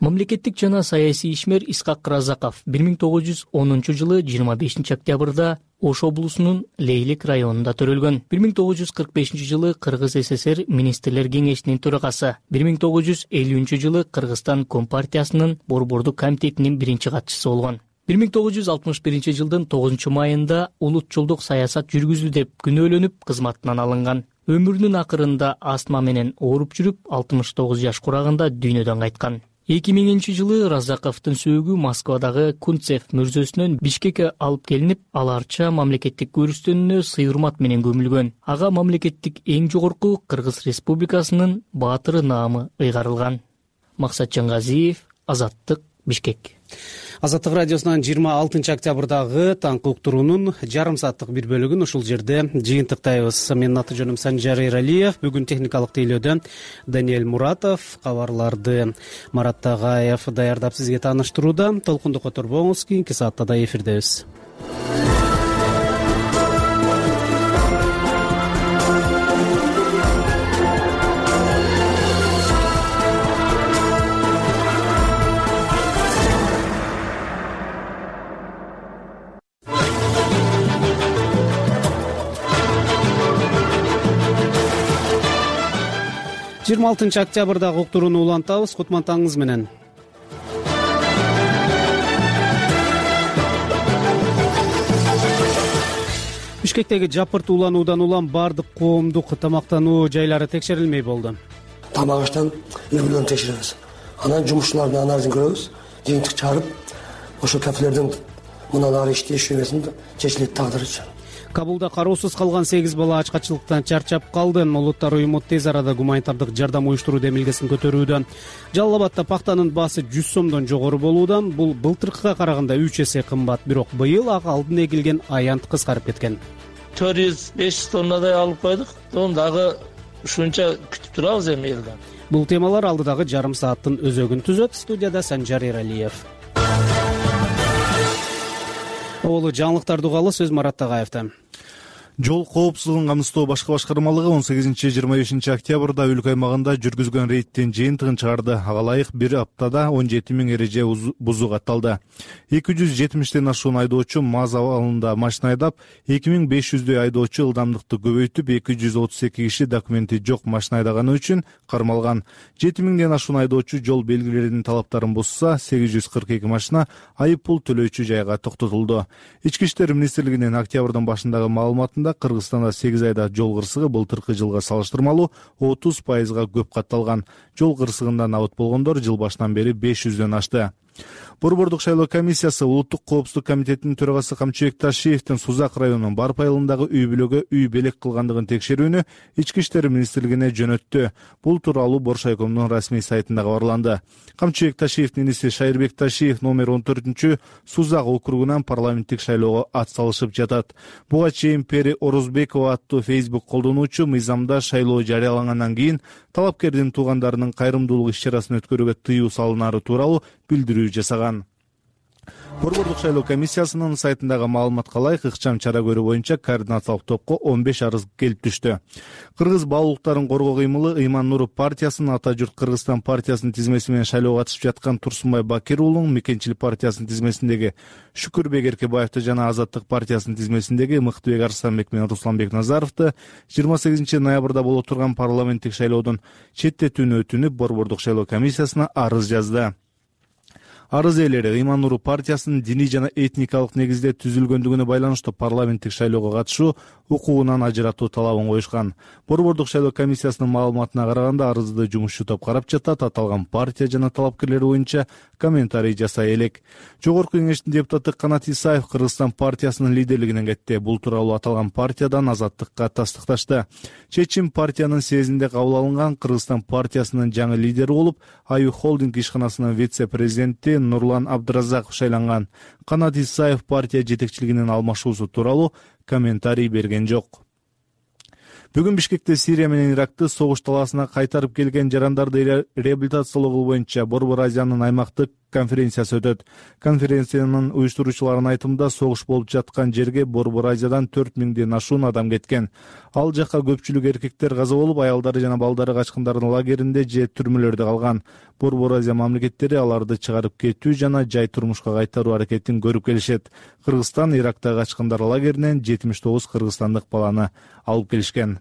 Speaker 15: Мамлекеттик жана саясий ишмер Исхак Разаков 1910 жылы 25 октябрда Ош облусунун Лейлек районунда төрөлгөн. 1945 жылы Кыргыз СССР Министрлер кеңешинин төрагасы, 1950 жылы Кыргызстан Компартиясынын Борбордук комитетинин биринчи катчысы болгон. 1961 жылдын 9 майында улут жолдук саясат жүргүздү деп күнөөлөнүп кызматынан алынган. Өмүрүнүн акырында астма менен ооруп жүрүп, 69 жаш курагында дүйнөдөн кайткан. 2000-жылы Разаковдун сөөгү Москвадагы Кунцев мүрзөсүнөн Бишкекке алып келинип, аларча мамлекеттик көрүстөнүнө сый-урмат менен көмүлгөн. Ага мамлекеттик эң жогорку Кыргыз Республикасынын баатыры наамы ыйгарылган. Максат Жангазиев, Азаттык, Бишкек.
Speaker 2: Азаттык радиосунан 26 октябрдагы таңкы уктуруунун жарым сааттык бир бөлүгүн ушул жерде жыйынтыктайбыз. Менин аты жөнүм Санжар Эралиев. Бүгүн техникалык тейлөөдө Даниэль Муратов, кабарларды Марат Тагаев даярдап сизге тааныштырууда. Толкунду которбоңуз, кийинки саатта да эфирдебиз. 26 октябрдагы уктурууну улантабыз. Кутман менен. Бишкектеги жапырт улануудан улам бардык коомдук тамактануу жайлары текшерилмей болду.
Speaker 1: Тамак аштан үй-бүлөнү текшеребиз. Анан жумушчулардын анализин көрөбүз. Жыйынтык чыгарып, ошол кафелердин мындан ары иштеши эмесин чечилет тагдыры үчүн.
Speaker 2: Кабулда кароосуз калган 8 бала ачкачылыктан чарчап калды. Улуттар уюму тез арада гуманитардык жардам уюштуруу демилгесин көтөрүүдө. Жалал Абадта пактанын баасы 100 сомдон жогору болууда. Бул былтыркыга караганда 3 эсе кымбат. Бирок быйыл ага алдын эгилген аянт кыскарып кеткен.
Speaker 22: 400-500 тоннадай алып койдук. Дагы ушунча күтүп турабыз эми элден.
Speaker 2: Бул темалар алдыдагы жарым сааттын өзөгүн түзөт. Студияда Санжар Эралиев. Олу жаңылыктарды угалы, сөз Марат Тагаевда.
Speaker 5: Жол коопсуздугун камсыздоо башкы башкармалыгы 18-25 октябрда өлкө аймагында жүргүзгөн рейдтин жыйынтыгын чыгарды. Ага ылайык бир аптада 17 000 эреже бузуу катталды. 270ден ашуун айдоочу МАЗ абалында машина айдап, 2500дөй айдоочу ылдамдыкты көбөйтүп, 232 киши документи жок машина айдаганы үчүн кармалган. 7000ден ашуун айдоочу жол белгилеринин талаптарын бузса, 842 машина айып пул төлөөчү жайга токтотулду. Ички иштер министрлигинин октябрдын башындагы маалыматында Кыргызстанда 8 айда жол кырсыгы былтыркы жылга салыштырмалуу 30% көп катталган. Жол кырсыгынан абыт болгондор жыл башынан бери 500дөн ашты. Борбордук шайлоо комиссиясы Улуттук коопсуздук комитетинин төрагасы Камчыбек Ташиевдин Сузак районунун Барп айылындагы үй-бүлөгө үй белек кылгандыгын текшерүүнү Ички иштер министрлигине жөнөттү. Бул тууралуу Боршайкомдун расмий сайтында кабарланды. Камчыбек Ташиевдин иниси Шайырбек Ташиев номер 14 Сузак округунан парламенттик шайлоого ат салышып жатат. Буга чейин Пери Орузбекова аттуу Facebook колдонуучу мыйзамда шайлоо жарыялангандан кийин талапкердин туугандарынын кайрымдуулук иш-чарасын өткөрүүгө тыюу салынары тууралуу билдирүү жасаган. Борбордук шайлоо комиссиясынын сайтындагы маалыматка ылайык ыкчам чара көрүү боюнча координациялык топко 15 арыз келип түштү. Кыргыз баалуулуктарын коргоо кыймылы Ыйман Нуров партиясынын Ата журт Кыргызстан партиясынын тизмеси менен шайлоого катышып жаткан Турсунбай Бакир уулунун Мекенчилик партиясынын тизмесиндеги Шүкүрбек Эркебаевди жана Азаттык партиясынын тизмесиндеги Мыктыбек Арсланбек менен Русланбек Назаровду 28 ноябрда боло турган парламенттик шайлоодон четтетүүнү өтүнүп Борбордук шайлоо комиссиясына арыз жазды. Арыз ээлери Ыйман Нуров партиясынын диний жана этникалык негизде түзүлгөндүгүнө байланыштуу парламенттик шайлоого катышуу укугунан ажыратуу талабын коюшкан. Борбордук шайлоо комиссиясынын маалыматына караганда арызды жумушчу топ карап жатат. Аталган партия жана талапкерлер боюнча комментарий жасай элек. Жогорку кеңештин депутаты Канат Исаев Кыргызстан партиясынын лидерлигинен кетти. Бул тууралуу аталган партиядан Азаттыкка тастыкташты. Чечим партиянын съездинде кабыл алынган. Кыргызстан партиясынын жаңы лидери болуп, Аю холдинг ишканасынын вице-президенти Нурлан Абдыразаков шайланган. Канат Исаев партия жетекчилигинин алмашуусу тууралуу комментарий берген жок. Бүгүн Бишкекте Сирия менен Иракты согуш талаасына кайтарып келген жарандарды реабилитациялоо боюнча Борбор Азиянын аймактык конференциясы өтөт. Конференциянын уюштуруучуларынын айтымында согуш болуп жаткан жерге Борбор Азиядан 4000ден ашуун адам кеткен. Ал жакка көпчүлүк эркектер каза болуп, аялдары жана балдары качкындардын лагеринде же түрмөлөрдө калган. Борбор Азия мамлекеттери аларды чыгарып кетүү жана жай турмушка кайтаруу аракетин көрүп келишет. Кыргызстан Ирактагы качкындар лагеринен 79 кыргызстандык баланы алып келишкен.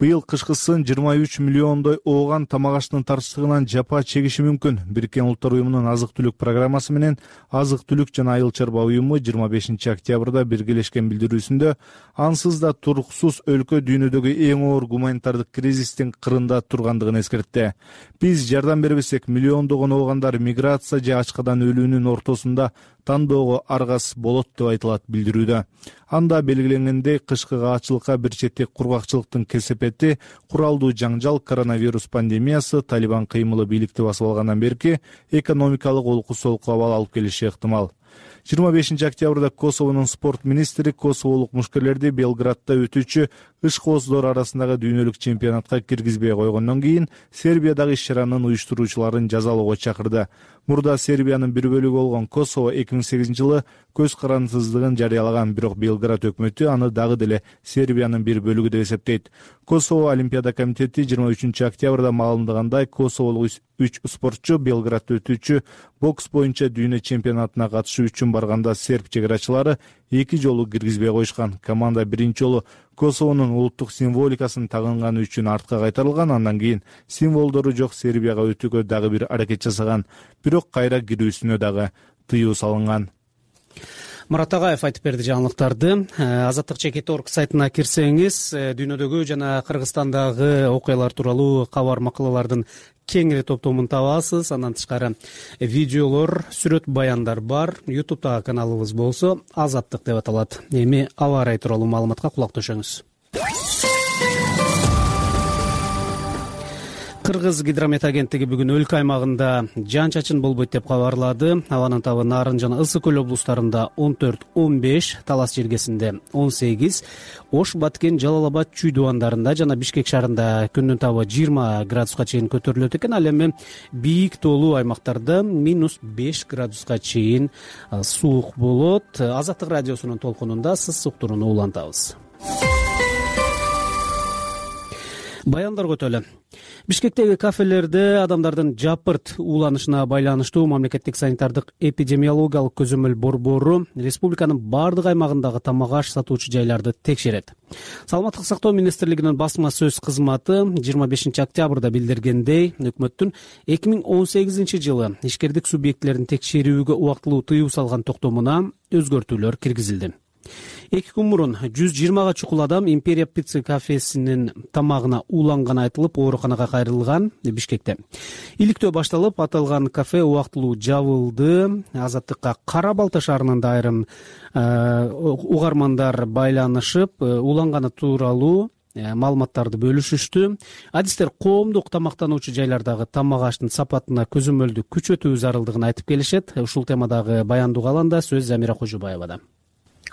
Speaker 5: Быйыл кышкысын 23 миллиондой ооган тамак аштын тарчтыгынан жапа чегиши мүмкүн. Бириккен Улуттар уюмунун азык-түлүк программасы менен Азык-түлүк жана айыл чарба уюму 25 октябрда биргелешкен билдирүүсүндө ансыз да туруксуз өлкө дүйнөдөгү эң оор гуманитардык кризистин кырында тургандыгын эскертти. Биз жардам бербесек, миллиондогон оогандар миграция же ачкадан өлүүнүн ортосунда тандоого аргасыз болот деп айтылат билдирүүдө. Анда белгиленгендей, кышкы каачылыкка бир четтек кургакчылыктын кесепети, куралдуу жаңжал, коронавирус пандемиясы, Талибан кыймылы бийликти басып алгандан берки экономикалык олку-солку абал алып келиши ыктымал. 25 октябрда Косовонун спорт министри косоволук мушкерлерди Белградда өтүүчү ышкооздар арасындагы дүйнөлүк чемпионатка киргизбей койгондон кийин Сербиядагы иш-чаранын уюштуруучуларын жазалоого чакырды. Мурда Сербиянын бир бөлүгү болгон Косово 2008 жылы көз карандысыздыгын жарыялаган, бирок Белград өкмөтү аны дагы деле Сербиянын бир бөлүгү деп эсептейт. Косово Олимпиада комитети 23 октябрда маалымдагандай, косоволук 3 спортчу Белградда өтүүчү бокс боюнча дүйнө чемпионатына катышуу үчүн барганда серб чегарачылары 2 жолу киргизбей коюшкан. Команда биринчи жолу Косовонун улуттук символикасын тагынганы үчүн артка кайтарылган, андан кийин символдору жок Сербияга өтүүгө дагы бир аракет жасаган, бирок кайра кирүүсүнө дагы тыюу салынган.
Speaker 2: Мурат Агаев айтып берди жаңылыктарды. Азаттык чекит.org сайтына кирсеңиз, дүйнөдөгү жана Кыргызстандагы окуялар тууралуу кабар макалалардын кеңири топтомун табасыз. Андан тышкары видеолор, сүрөт баяндар бар. YouTube'дагы каналыбыз болсо Азаттык деп аталат. Эми аба ырайы тууралуу маалыматка кулак төшөңүз. Кыргыз гидромет агенттиги бүгүн өлкө аймагында жаан-чачын болбойт деп кабарлады. Абанын табы Нарын жана Ысык көл облустарында 14-15, Талас жергесинде 18, Ош, Баткен, Жалал Абад, Чүй дубандарында жана Бишкек шаарында күндүн табы 20 градуска чейин көтөрүлөт экен. Ал эми бийик тоолуу аймактарда -5 градуска чейин суук болот. Азаттык радиосунун толкунунда сыз уктурууну улантабыз. Баяндар көтөлө. Бишкектеги кафелерде адамдардын жапырт ууланышына байланыштуу мамлекеттик санитардык эпидемиологиялык көзөмөл борбору республиканын бардык аймагындагы тамак аш сатуучу жайларды текшерет. Саламаттык сактоо министрлигинин басма сөз кызматы 25 октябрда билдиргендей, өкмөттүн 2018 жылы ишкердик субъектилерин текшерүүгө убактылуу тыюу салган токтомуна өзгөртүүлөр киргизилди. 2 күн мурун 120 чукул адам Империя пицца кафесинин тамагына ууланганы айтылып, ооруканага кайрылган. Бишкекте иликтөө башталып, аталган кафе убактылуу жабылды. Азаттыкка Кара Балта шаарынын да айрым угармандар байланышып, ууланганы тууралуу маалыматтарды бөлүшүштү. Адистер коомдук тамактануучу жайлардагы тамак аштын сапатына көзөмөлдү күчөтүү зарылдыгын айтып келишет. Ушул темадагы баянды угаланда сөз Замира Кожубаевада.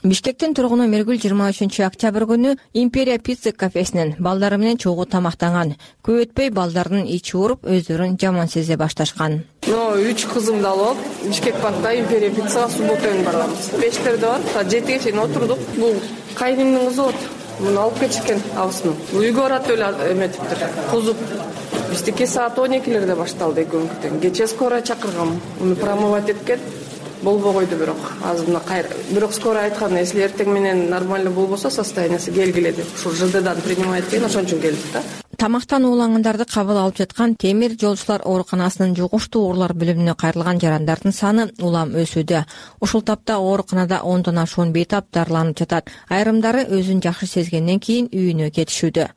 Speaker 3: Бишкектин тургуну Мергүл 23 октябрь күнү Империя пицца кафесинен балдары менен чогуу тамактанган. Көп өтпөй балдардын ичи ооруп, өздөрүн жаман сезе башташкан.
Speaker 7: 3 кызымды алып, Бишкек паркта Империя пиццага суббота күнү барганбыз. Пештерде бар, 7-ге чейин отурдук. Бул кайнымдын кызы болот. Муну алып кетишкен абысын. Үйгө барат эле эметиптир. Кузуп. Биздики саат 12-лерде башталды экөөңүктөн. Кече скорая чакыргам. Муну промывать эткен. Болбой койду бирок. Азырына бирок скорая айткан, если эртең менен нормально болбосо, состояниясы келгиле деп. Ушул ЖДдан принимать эткен, ошон үчүн келдик да.
Speaker 3: Тамактан уулангандарды кабыл алып жаткан Темир жолчулар ооруканасынын жугуштуу оорулар бөлүмүнө кайрылган жарандардын саны улам өсүүдө. Ушул тапта ооруканада 10дон ашуун бейтап дарыланып жатат. Айрымдары өзүн жакшы сезгенден кийин үйүнө кетишүүдө.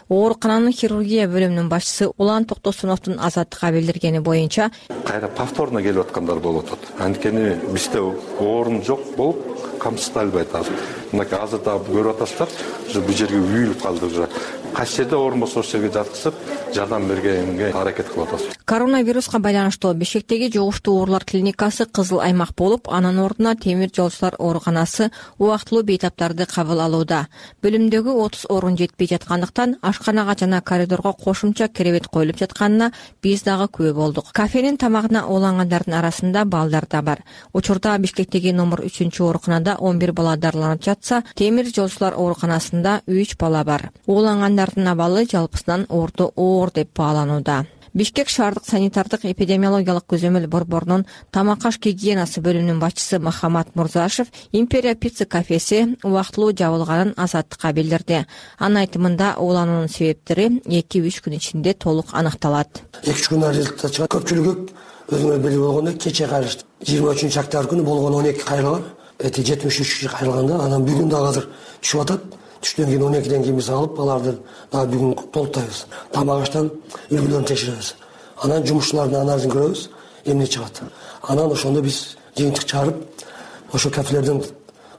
Speaker 3: Оорукананын хирургия бөлүмүнүн башчысы Улан Токтосуновдун Азаттыкка билдиргени боюнча,
Speaker 23: кайра повторно келип аткандар болуп атат. Анткени бизде орун жок болуп камсыздалбайт азыр. Мынакей азыр да көрүп атасыздар, бул жерге үйүлүп калды уже. Кайсы жерде орун болсо ошол жерге жаткызып, жардам бергенге аракет кылып атабыз.
Speaker 3: Коронавируска байланыштуу Бишкектеги жугуштуу оорулар клиникасы кызыл аймак болуп, анын ордуна Темир жолчулар ооруканасы убактылуу бейтаптарды кабыл алууда. Бөлүмдөгү 30 орун жетпей жаткандыктан ашканага жана коридорго кошумча керебет коюлуп жатканына биз дагы күбө болдук. Кафенин тамагына уулангандардын арасында балдар да бар. Учурда Бишкектеги номер 3 ооруканада 11 бала дарыланып жатса, Темир жолчулар ооруканасында 3 бала бар. Уулангандардын абалы жалпысынан орто оор деп бааланууда. Бишкек шаардык санитардык эпидемиологиялык көзөмөл борборунун тамак аш гигиенасы бөлүмүнүн башчысы Махамат Мурзашев Империя пицца кафеси убактылуу жабылганын Азаттыкка билдирди. Анын айтымында уулануунун себептери 2-3 күн ичинде толук аныкталат.
Speaker 1: 2-3 күн результат чыгат. Көпчүлүгү өзүңөр белгилүү болгондой кече кайрылышты. 23-октябрь күнү болгон 12 кайрылы бар. 73 киши кайрылганда анан бүгүн дагы азыр түшүп атат. Түштөн кийин 12ден кийин биз алып аларды дагы бүгүн толуктайбыз. Тамак аштан үлгүлөрүн текшеребиз. Анан жумушчулардын анализин көрөбүз, эмне чыгат. Анан ошондо биз жыйынтык чыгарып, ошо кафелердин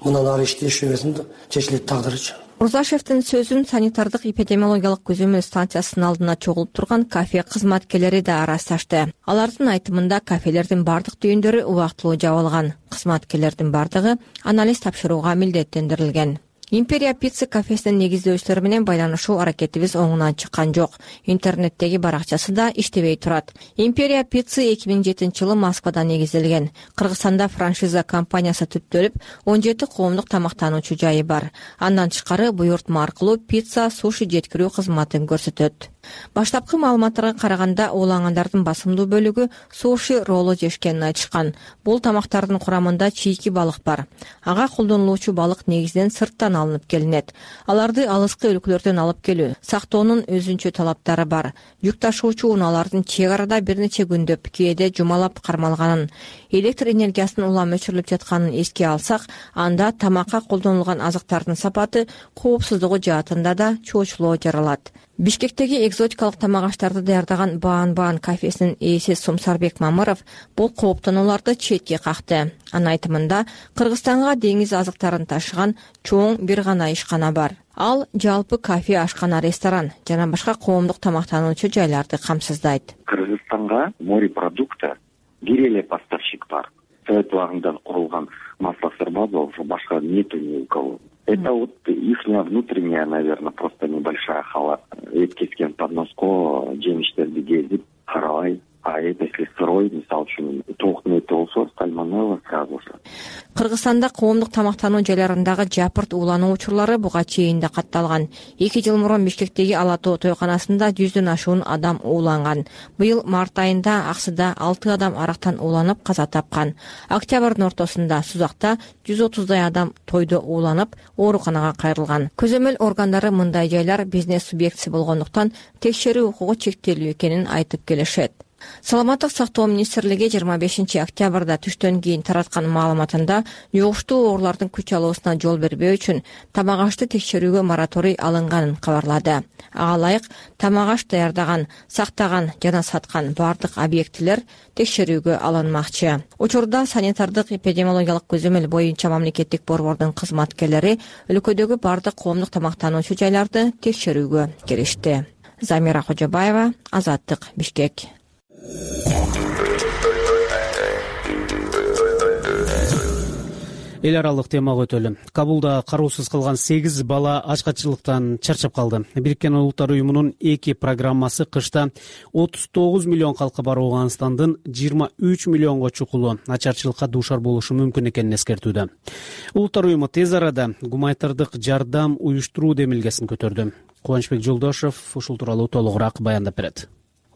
Speaker 1: мындан ары иштеш жөнөсүн чечилет тагдырычы.
Speaker 3: Мурзашевдин сөзүн санитардык эпидемиологиялык көзөмөл станциясынын алдына чогулуп турган кафе кызматкерлери да ырасташты. Алардын айтымында кафелердин бардык түйүндөрү убактылуу жабылган. Кызматкерлердин бардыгы анализ тапшырууга милдеттендирилген. Империя пицца кафесинин негиздөөчүлөрү менен байланышуу аракетибиз оңунан чыккан жок. Интернеттеги баракчасы да иштебей турат. Империя пицца 2007-жылы Москвада негизделген. Кыргызстанда франшиза компаниясы түптөлүп, 17 коомдук тамактануучу жайы бар. Андан тышкары буйртма аркылуу пицца, суши жеткирүү кызматын көрсөтөт. Баштапкы маалыматтарга караганда уулангандардын басымдуу бөлүгү суши роллу жешкенин айтышкан. Бул тамактардын курамында чийки балык бар. Ага колдонулуучу балык негизинен сырттан алынып келинет. Аларды алыскы өлкөлөрдөн алып келүү, сактоонун өзүнчө талаптары бар. Жүк ташуучу унаалардын чек арада бир нече күндөп, кээде жумалап кармалганын, электр энергиясынын улам өчүрүлүп жатканын эске алсак, анда тамакка колдонулган азыктардын сапаты, коопсуздугу жаатында да чоочулоо жаралат. Бишкектеги экзотикалык тамак аштарды даярдаган Баан кафесинин ээси Сумсарбек Мамыров бул кооптонууларды четке какты. Анын айтымында Кыргызстанга деңиз азыктарын ташыган чоң бир гана ишкана бар. Ал жалпы кафе, ашкана, ресторан жана башка коомдук тамактануучу жайларды камсыздайт.
Speaker 4: Кыргызстанга морепродукта бир эле поставщик бар. Совет убагында курулган маслосорба болсо башка нету ни у кого. Это вот их внутренняя, наверное, просто небольшая халат. Эткескен подноско жемиштерди кезип карабай. А это если сырой, мисалы үчүн тоокун эти болсо, сальмонелла сразу же.
Speaker 3: Кыргызстанда коомдук тамактануу жайларындагы жапырт уулануу учурлары буга чейин да катталган. 2 жыл мурун Бишкектеги Ала Тоо тойканасында 100дөн ашуун адам ууланган. Быйыл март айында Аксыда 6 адам арактан ууланып каза тапкан. Октябрдын ортосунда Сузакта 130дай адам тойдо ууланып ооруканага кайрылган. Көзөмөл органдары мындай жайлар бизнес субъектиси болгондуктан текшерүү укугу чектелүү экенин айтып келишет. Саламаттык сактоо министрлиги 25 октябрда түштөн кийин тараткан маалыматында жугуштуу оорулардын күч алуусуна жол бербөө үчүн тамак ашты текшерүүгө мораторий алынганын кабарлады. Ага ылайык тамак аш даярдаган, сактаган жана саткан бардык объектилер текшерүүгө алынмакчы. Учурда санитардык эпидемиологиялык көзөмөл боюнча мамлекеттик борбордун кызматкерлери өлкөдөгү бардык коомдук тамактануучу жайларды текшерүүгө киришти. Замира Кожобаева, Азаттык, Бишкек.
Speaker 2: Эл аралык темага өтөлү. Кабулда кароосуз калган 8 бала ачкачылыктан чарчап калды. Бириккен Улуттар уюмунун 2 программасы кышта 39 миллион калкы бар Ооганстандын 23 миллионго чукулу ачарчылыкка дуушар болушу мүмкүн экенин эскертүүдө. Улуттар уюму тез арада гуманитардык жардам уюштуруу демилгесин көтөрдү. Кубанычбек Жолдошев ушул тууралуу толугураак баяндап берет.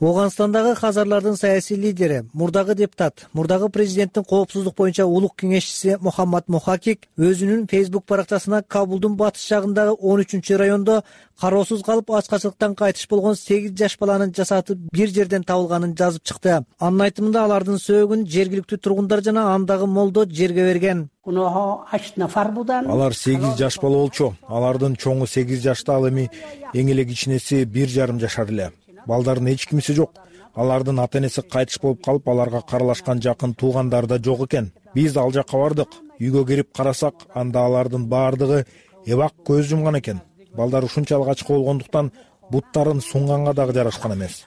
Speaker 8: Ооганстандагы хазарлардын саясий лидери, мурдагы депутат, мурдагы президенттин коопсуздук боюнча улук кеңешчиси Мухаммад Мухакик өзүнүн Facebook баракчасына Кабулдун батыш жагындагы 13-райондо кароосуз калып ачкачылыктан кайтыш болгон 8 жаш баланын жасаты бир жерден табылганын жазып чыкты. Анын айтымында алардын сөөгүн жергиликтүү тургундар жана андагы молдо жерге берген.
Speaker 12: Алар 8 жаш бала болчу. Алардын чоңу 8 жашта, ал эми эң эле кичинеси 1,5 жашар эле. Балдардын эч кимиси жок. Алардын ата-энеси кайтыш болуп калып, аларга каралашкан жакын туугандары да жок экен. Биз ал жакка бардык. Үйгө кирип карасак, анда алардын баардыгы эбак көз жумган экен. Балдар ушунчалык ачка болгондуктан буттарын сунганга дагы жарашкан эмес.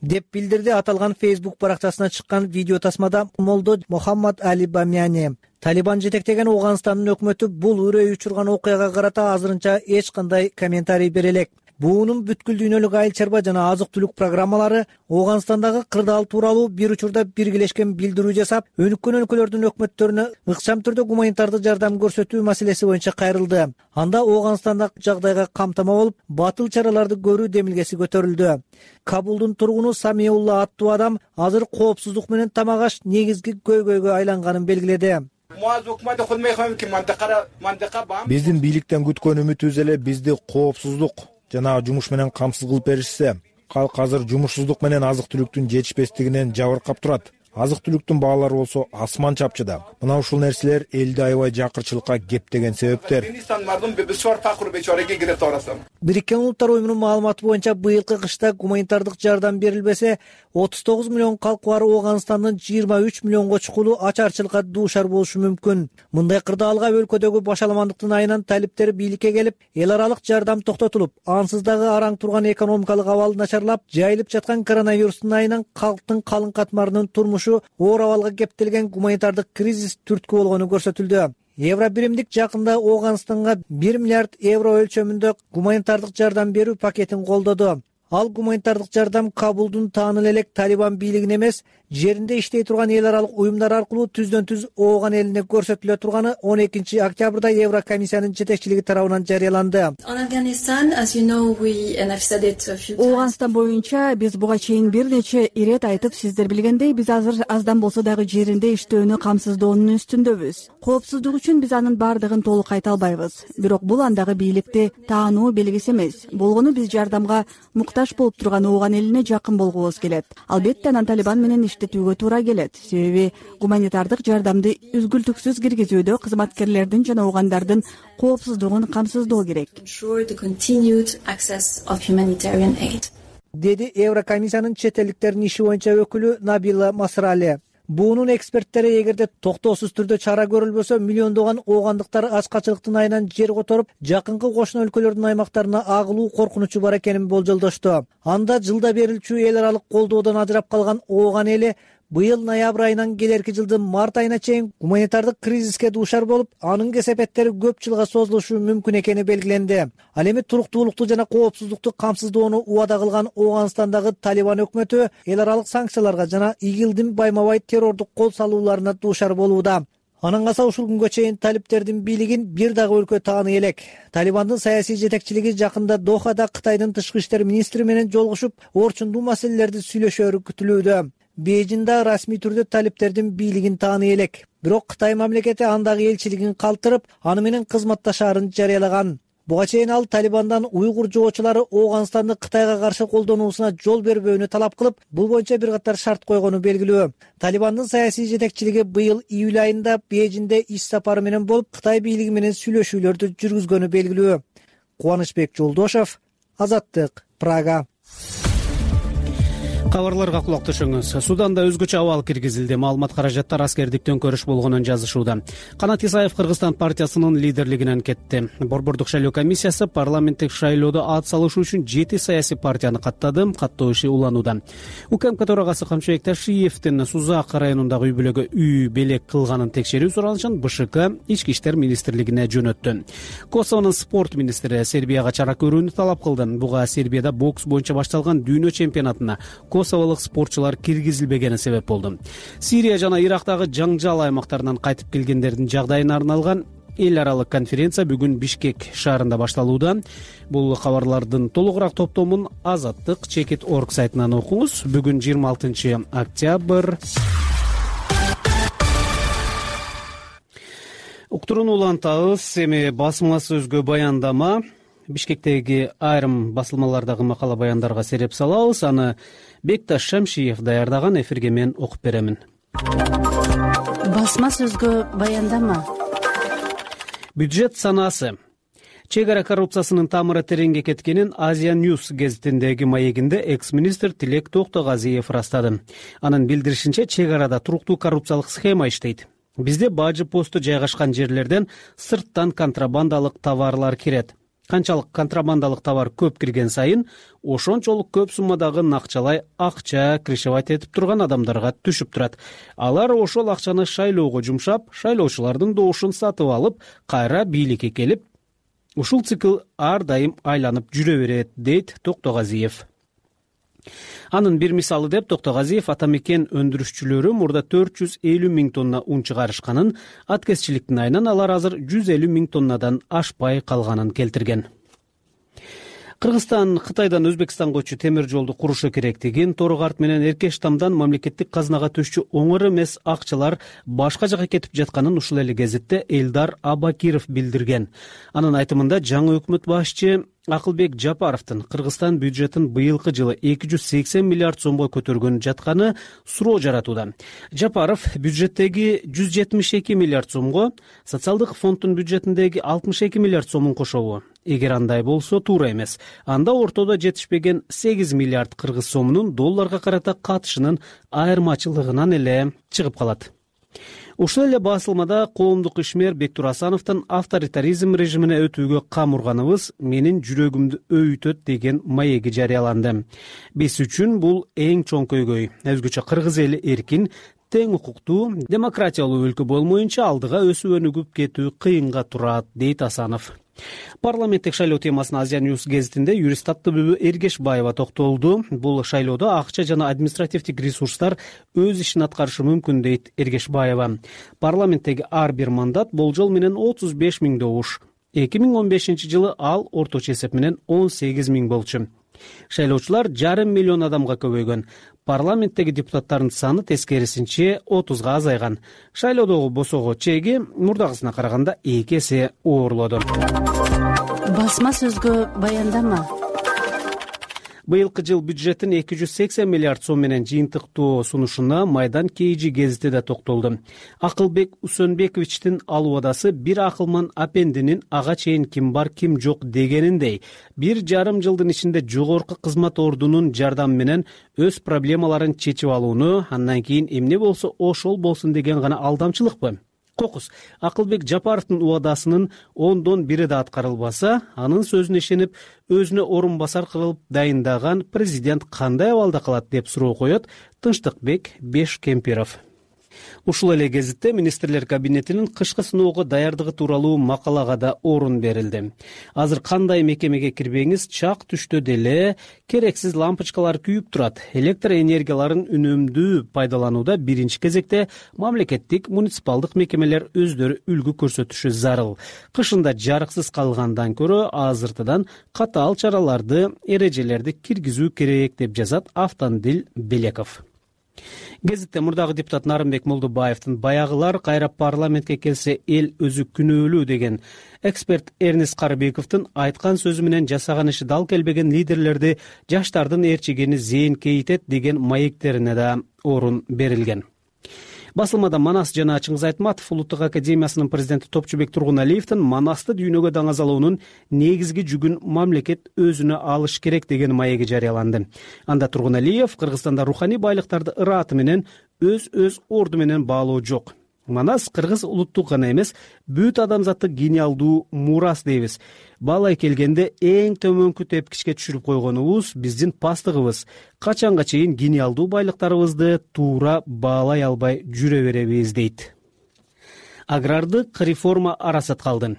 Speaker 8: Деп билдирди аталган Facebook баракчасына чыккан видео тасмада молдо Мухаммад Али Бамяни. Талибан жетектеген Ооганстандын өкмөтү бул үрөй учурган окуяга карата азырынча эч кандай комментарий бере элек. буунун бүткүл дүйнөлүк айыл чарба жана азык түлүк программалары Ооганстандагы кырдаал тууралуу бир учурда биргелешкен билдирүү жасап, өнүккөн өлкөлөрдүн өкмөттөрүнө ыкчам түрдө гуманитардык жардам көрсөтүү маселеси боюнча кайрылды. Анда Ооганстандагы жагдайга камтама болуп, батыл чараларды көрүү демилгеси көтөрүлдү. Кабулдун тургуну Самиулла аттуу адам азыр коопсуздук менен тамак аш негизги көйгөйгө айланганын белгиледи.
Speaker 12: Биздин бийликтен күткөн үмүтүбүз эле бизди коопсуздук жана жумуш менен камсыз кылып беришсе. Калк азыр жумушсуздук менен азык түлүктүн жетишпестигинен жабыркап турат. Азык түлүктүн баалары болсо асман чапчыда. Мына ушул нерселер элди аябай жакырчылыкка кептеген себептер.
Speaker 8: Бириккен Улуттар Уюмунун маалыматы боюнча быйылкы кышта гуманитардык жардам берилбесе, 39 миллион калкы бар Ооганстандын 23 миллионго чукулу ачарчылыкка дуушар болушу мүмкүн. Мындай кырдаалга өлкөдөгү башаламандыктын айынан талиптер бийликке келип, эл аралык жардам токтотулуп, ансыз дагы араң турган экономикалык абал начарлап, жайылып жаткан коронавирустун айынан калктын калың катмарынын турмушу оор абалга кептелген гуманитардык кризис түрткү болгону көрсөтүлдү. Евробиримдик жакында Ооганстанга 1 миллиард евро өлчөмүндө гуманитардык жардам берүү пакетин колдоду. Ал гуманитардык жардам Кабулдун тааныл элек Талибан бийлигин эмес, жеринде иштей турган эл аралык уюмдар аркылуу түздөн-түз Ооган элине көрсөтүлө турганы 12 октябрда Еврокомиссиянын жетекчилиги тарабынан жарыяланды.
Speaker 10: Ооганстан боюнча биз буга чейин бир нече ирет айтып, сиздер билгендей, биз азыр аздан болсо дагы жеринде иштөөнү камсыздоонун үстүндөбүз. Коопсуздук үчүн биз анын бардыгын толук айта албайбыз. Бирок бул андагы бийликти таануу белгиси эмес. Болгону биз жардамга муктаж болуп турган Ооган элине жакын болгубуз келет. Албетте анан Талибан менен иштетүүгө туура келет. Себеби гуманитардык жардамды үзгүлтүксүз киргизүүдө кызматкерлердин жана оогандардын коопсуздугун камсыздоо керек.
Speaker 8: Деди Еврокомиссиянын чет элдиктердин иши боюнча өкүлү Набила Масрали. Буунун эксперттери эгерде токтоосуз түрдө чара көрүлбөсө, миллиондогон оогандыктар ачкачылыктын айынан жер которуп, жакынкы кошуна өлкөлөрдүн аймактарына агылуу коркунучу бар экенин болжолдошту. Анда жылда берилчү эл аралык колдоодон ажырап калган Ооган эли быйыл ноябрь айынан келерки жылдын март айына чейин гуманитардык кризиске дуушар болуп, анын кесепеттери көп жылга созулушу мүмкүн экени белгиленди. Ал эми туруктуулукту жана коопсуздукту камсыздоону убада кылган Ооганстандагы Талибан өкмөтү эл аралык санкцияларга жана ИГИЛдин байма-бай террордук кол салууларына дуушар болууда. Анан калса ушул күнгө чейин талиптердин бийлигин бир дагы өлкө тааный элек. Талибандын саясий жетекчилиги жакында Дохада Кытайдын тышкы иштер министри менен жолугушуп, орчундуу маселелерди сүйлөшөөрү күтүлүүдө. Бейжиңде расмий түрдө талиптердин бийлигин тааный элек. Бирок Кытай мамлекети андагы элчилигин калтырып, аны менен кызматташаарын жарыялаган. Буга чейин ал Талибандан уйгур жоочулары Ооганстанды Кытайга каршы колдонуусуна жол бербөөнү талап кылып, бул боюнча бир катар шарт койгону белгилүү. Талибандын саясий жетекчилиги быйыл июль айында Бейжиңде иш сапары менен болуп, Кытай бийлиги менен сүйлөшүүлөрдү жүргүзгөнү белгилүү. Кубанычбек Жолдошев, Азаттык, Прага.
Speaker 2: Кабарларга кулак түшүңүз. Суданда өзгөчө абал киргизилди. Маалымат каражаттар аскердик төңкөрүш болгонун жазышууда. Канат Исаев Кыргызстан партиясынын лидерлигинен кетти. Борбордук шайлоо комиссиясы парламенттик шайлоодо ат салышы үчүн 7 саясий партияны каттады. Каттоо иши уланууда. УКМК төрагасы Камчыбек Ташиевдин Сузак районундагы үй бүлөгө үй белек кылганын текшерүү суранышын БШК Ички иштер министрлигине жөнөттү. Косовонун спорт министри Сербияга чара көрүүнү талап кылды. Буга Сербияда бокс боюнча башталган дүйнө чемпионатына косоволук спортчулар киргизилбегени себеп болду. Сирия жана Ирактагы жаңжал аймактарынан кайтып келгендердин жагдайына арналган эл аралык конференция бүгүн Бишкек шаарында башталууда. Бул кабарлардын толугураак топтомун Азаттык.org сайтынан окуңуз. Бүгүн 26 октябрь. Уктурууну улантабыз. Эми басма сөзгө баяндама. Бишкектеги айрым басылмалардагы макала баяндарга сереп салабыз. Аны Бекташ Шамшиев даярдаган. Эфирге мен окуп беремин.
Speaker 6: Басма сөзгө баяндама.
Speaker 2: Бюджет санаасы. Чек ара коррупциясынын тамыры тереңге кеткенин Азия Ньюс гезитиндеги маегинде экс-министр Тилек Токтогазиев растады. Анын билдиришинче, чек арада туруктуу коррупциялык схема иштейт. Бизде бажы посту жайгашкан жерлерден сырттан контрабандалык товарлар кирет. Канчалык контрабандалык товар көп кирген сайын, ошончолук көп суммадагы накчалай акча крышевать этип турган адамдарга түшүп турат. Алар ошол акчаны шайлоого жумшап, шайлоочулардын добушун сатып алып, кайра бийликке келип, Ушул цикл ар дайым айланып жүрө берет, дейт Токтогазиев. Анын бир мисалы деп Токтогазиев ата мекен өндүрүшчүлөрү мурда 450 000 тонна ун чыгарышканын, аткезчиликтин айынан алар азыр 150 000 тоннадан ашпай калганын келтирген. Кыргызстан Кытайдан Өзбекстанга өтчү темир жолду курушу керектигин, Тору-Карт менен Эркеш Тамдан мамлекеттик казынага түшчү оңор эмес акчалар башка жака кетип жатканын ушул эле кезекте Элдар Абакиров билдирген. Анын айтымында жаңы өкмөт башчы Акылбек Жапаровдун Кыргызстан бюджетин быйылкы жылы 280 миллиард сомго көтөргөн жатканы суроо жаратууда. Жапаров бюджеттеги 172 миллиард сомго социалдык фонддун бюджетиндеги 62 миллиард сомун кошобу? Эгер андай болсо туура эмес. Анда ортодо жетишпеген 8 миллиард кыргыз сомунун долларга карата катышынын айырмачылыгынан эле чыгып калат. Ушул эле басылмада коомдук ишмер Бектур Асановдун авторитаризм режимине өтүүгө кам урганыбыз менин жүрөгүмдү өйүтөт деген маеги жарыяланды. Биз үчүн бул эң чоң көйгөй. Өзгөчө кыргыз эли эркин, тең укуктуу, демократиялуу өлкө болмоюнча алдыга өсүп өнүгүп кетүү кыйынга турат, дейт Асанов. Парламенттик шайлоо темасына Азия Ньюс гезитинде юрист Аттыбүбү Эргешбаева токтолду. Бул шайлоодо акча жана административдик ресурстар өз ишин аткарышы мүмкүн, дейт Эргешбаева. Парламенттеги ар бир мандат болжол менен 35 000 добуш. 2015 жылы ал орточо эсеп менен 18 000 болчу. Шайлоочулар 5,5 миллион адамга көбөйгөн. Парламенттеги депутаттардын саны тескерисинче 30га азайган. Шайлоодогу босого чеги мурдагысына караганда 2 эсе оорлоду.
Speaker 6: Басма сөзгө баяндама.
Speaker 2: Быйылкы жыл бюджеттин 280 миллиард сом менен жыйынтыктуу сунушуна Майдан Кейжи гезити да токтолду. Акылбек Усөнбековичтин ал убадасы бир акылман апендинин ага чейин ким бар ким жок дегениндей 1,5 жылдын ичинде жогорку кызмат ордунун жардамы менен өз проблемаларын чечип алууну, андан кийин эмне болсо ошол болсун деген гана алдамчылыкпы? Кокус, Акылбек Жапаровдун убадасынын 10дон 1 да аткарылбаса, анын сөзүнө ишенип, өзүнө орун басар кылып дайындаган президент кандай абалда калат деп суроо коет Тынчтыкбек Бешкемпиров. Ушул эле гезитте министрлер кабинетинин кышкы сыноого даярдыгы тууралуу макалага да орун берилди. Азыр кандай мекемеге кирбеңиз, чак түштө деле керексиз лампочкалар күйүп турат. Электр энергияларын үнөмдүү пайдаланууда биринчи кезекте мамлекеттик муниципалдык мекемелер өздөрү үлгү көрсөтүшү зарыл. Кышында жарыксыз калгандан көрө азыртыдан катаал чараларды, эрежелерди киргизүү керек деп жазат Автандил Белеков. Гезитте мурдагы депутат Нарымбек Молдубаевдин баягылар кайра парламентке келсе эл өзү күнөөлүү деген эксперт Эрнест Карыбековдун айткан сөзү менен жасаган иши дал келбеген лидерлерди жаштардын ээрчигени зээнкейтет деген маектерине да орун берилген. Басылмада Манас жана Чыңгыз Айтматов Улуттук академиясынын президенти Топчубек Тургуналиевдин Манасты дүйнөгө даңазалоонун негизги жүгүн мамлекет өзүнө алыш керек деген маеги жарыяланды. Анда Тургуналиев Кыргызстанда руханий байлыктарды ырааты менен өз орду менен баалоо жок. Манас кыргыз улуттук гана эмес, бүт адамзаттык гениалдуу мурас дейбиз. Баалай келгенде эң төмөнкү тепкичке түшүрүп койгонубуз биздин пастыгыбыз. Качанга чейин гениалдуу байлыктарыбызды туура баалай албай жүрө беребиз, дейт. Агрардык реформа арасат калды.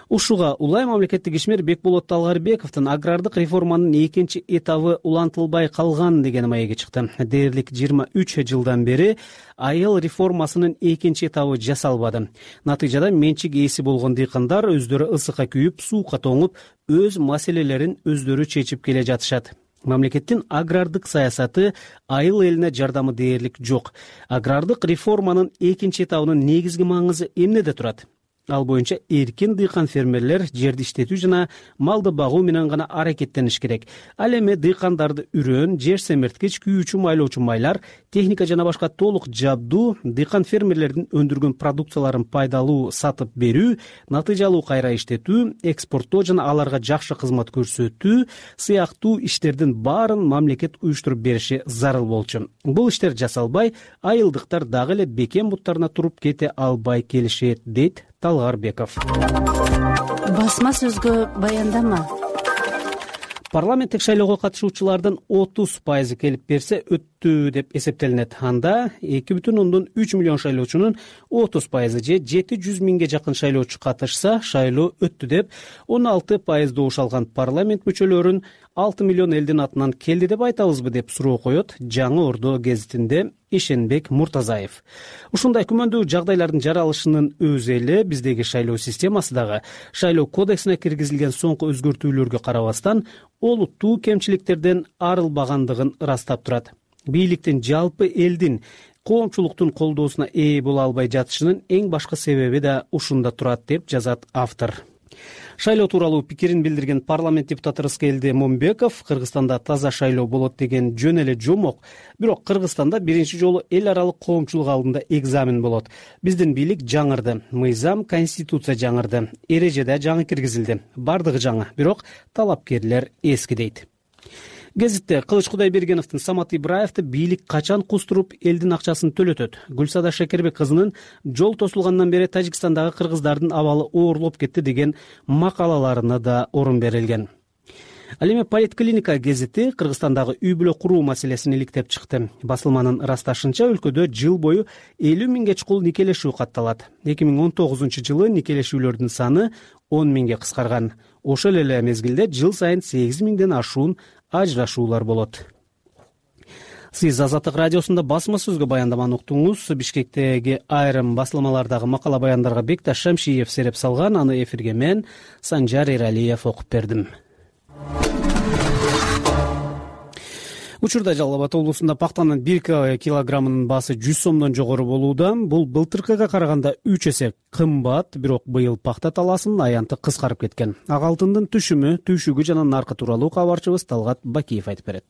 Speaker 2: Ушуга улай мамлекеттик ишмер Бекболот Талгарбековдун агрардык реформанын экинчи этабы улантылбай калган деген маеги чыкты. Дээрлик 23 жылдан бери айыл реформасынын экинчи этабы жасалбады. Натыйжада менчик ээси болгон дыйкандар өздөрү ысыкка күйүп, суукка тоңуп, өз маселелерин өздөрү чечип келе жатышат. Мамлекеттин агрардык саясаты айыл элине жардамы дээрлик жок. Агрардык реформанын экинчи этабынын негизги маңызы эмнеде турат? Ал боюнча эркин дыйкан фермерлер жерди иштетүү жана малды багуу менен гана аракеттениш керек. Ал эми дыйкандарды үрөн, жер семирткич, күйүүчү майлоочу майлар, техника жана башка толук жабдуу, дыйкан фермерлердин өндүргөн продукцияларын пайдалуу сатып берүү, натыйжалуу кайра иштетүү, экспорттоо жана аларга жакшы кызмат көрсөтүү сыяктуу иштердин баарын мамлекет уюштуруп бериши зарыл болчу. Бул иштер жасалбай, айылдыктар дагы эле бекем буттарына туруп кете албай келишет, дейт Талгарбеков.
Speaker 6: Басма сөзгө баяндама.
Speaker 2: Парламенттик шайлоого катышуучулардын 30% келип берсе өттү деп эсептелинет. Анда 2,3 миллион шайлоочунун 30% же 700 миңге жакын шайлоочу катышса, шайлоо өттү деп 16% добуш алган парламент мүчөлөрүн 6 миллион элдин атынан келди деп айтабызбы деп суроо коет Жаңы Ордо гезитинде Ишенбек Муртазаев. Ушундай күмөндүү жагдайлардын жаралышынын өзү эле биздеги шайлоо системасы дагы шайлоо кодексине киргизилген соңку өзгөртүүлөргө карабастан олуттуу кемчиликтерден арылбагандыгын ырастап турат. Бийликтин жалпы элдин коомчулуктун колдоосуна ээ боло албай жатышынын эң башкы себеби да ушунда турат деп жазат автор. Шайлоо тууралуу пикирин билдирген парламент депутаты Рыскелди Момбеков Кыргызстанда таза шайлоо болот деген жөн эле жомок. Бирок Кыргызстанда биринчи жолу эл аралык коомчулук алдында экзамен болот. Биздин бийлик жаңырды, мыйзам, конституция жаңырды, эреже да жаңы киргизилди. Бардыгы жаңы, бирок талапкерлер эски дейт. Гезитте Кылыч Кудайбергеновдун Самат Ибраевди бийлик качан кустуруп элдин акчасын төлөтөт? Гүлсада Шекербек кызынын жол тосулгандан бери Тажикстандагы кыргыздардын абалы оорлоп кетти деген макалаларына да орун берилген. Ал эми Политклиника гезити Кыргызстандагы үй-бүлө куруу маселесин иликтеп чыкты. Басылманын ырасташынча, өлкөдө жыл бою 50 миңге чукул никелешүү катталат. 2019-жылы никелешүүлөрдүн саны 10 миңге кыскарган. Ошол эле мезгилде жыл сайын 8 миңден ашуун ажырашуулар болот. Сиз Азаттык радиосунда басма сөзгө баяндаманы уктуңуз. Бишкектеги айрым басылмалардагы макала баяндарга Бекташ Шамшиев сереп салган. Аны эфирге мен, Санжар Эралиев, окуп бердим. Учурда Жалал Абад облусунда пактанын 1 килограммынын баасы 100 сомдон жогору болууда. Бул былтыркыга караганда 3 эсе кымбат, бирок быйыл пакта талаасынын аянты кыскарып кеткен. Ак алтындын түшүмү, түйшүгү жана наркы тууралуу кабарчыбыз Талгат Бакиев айтып берет.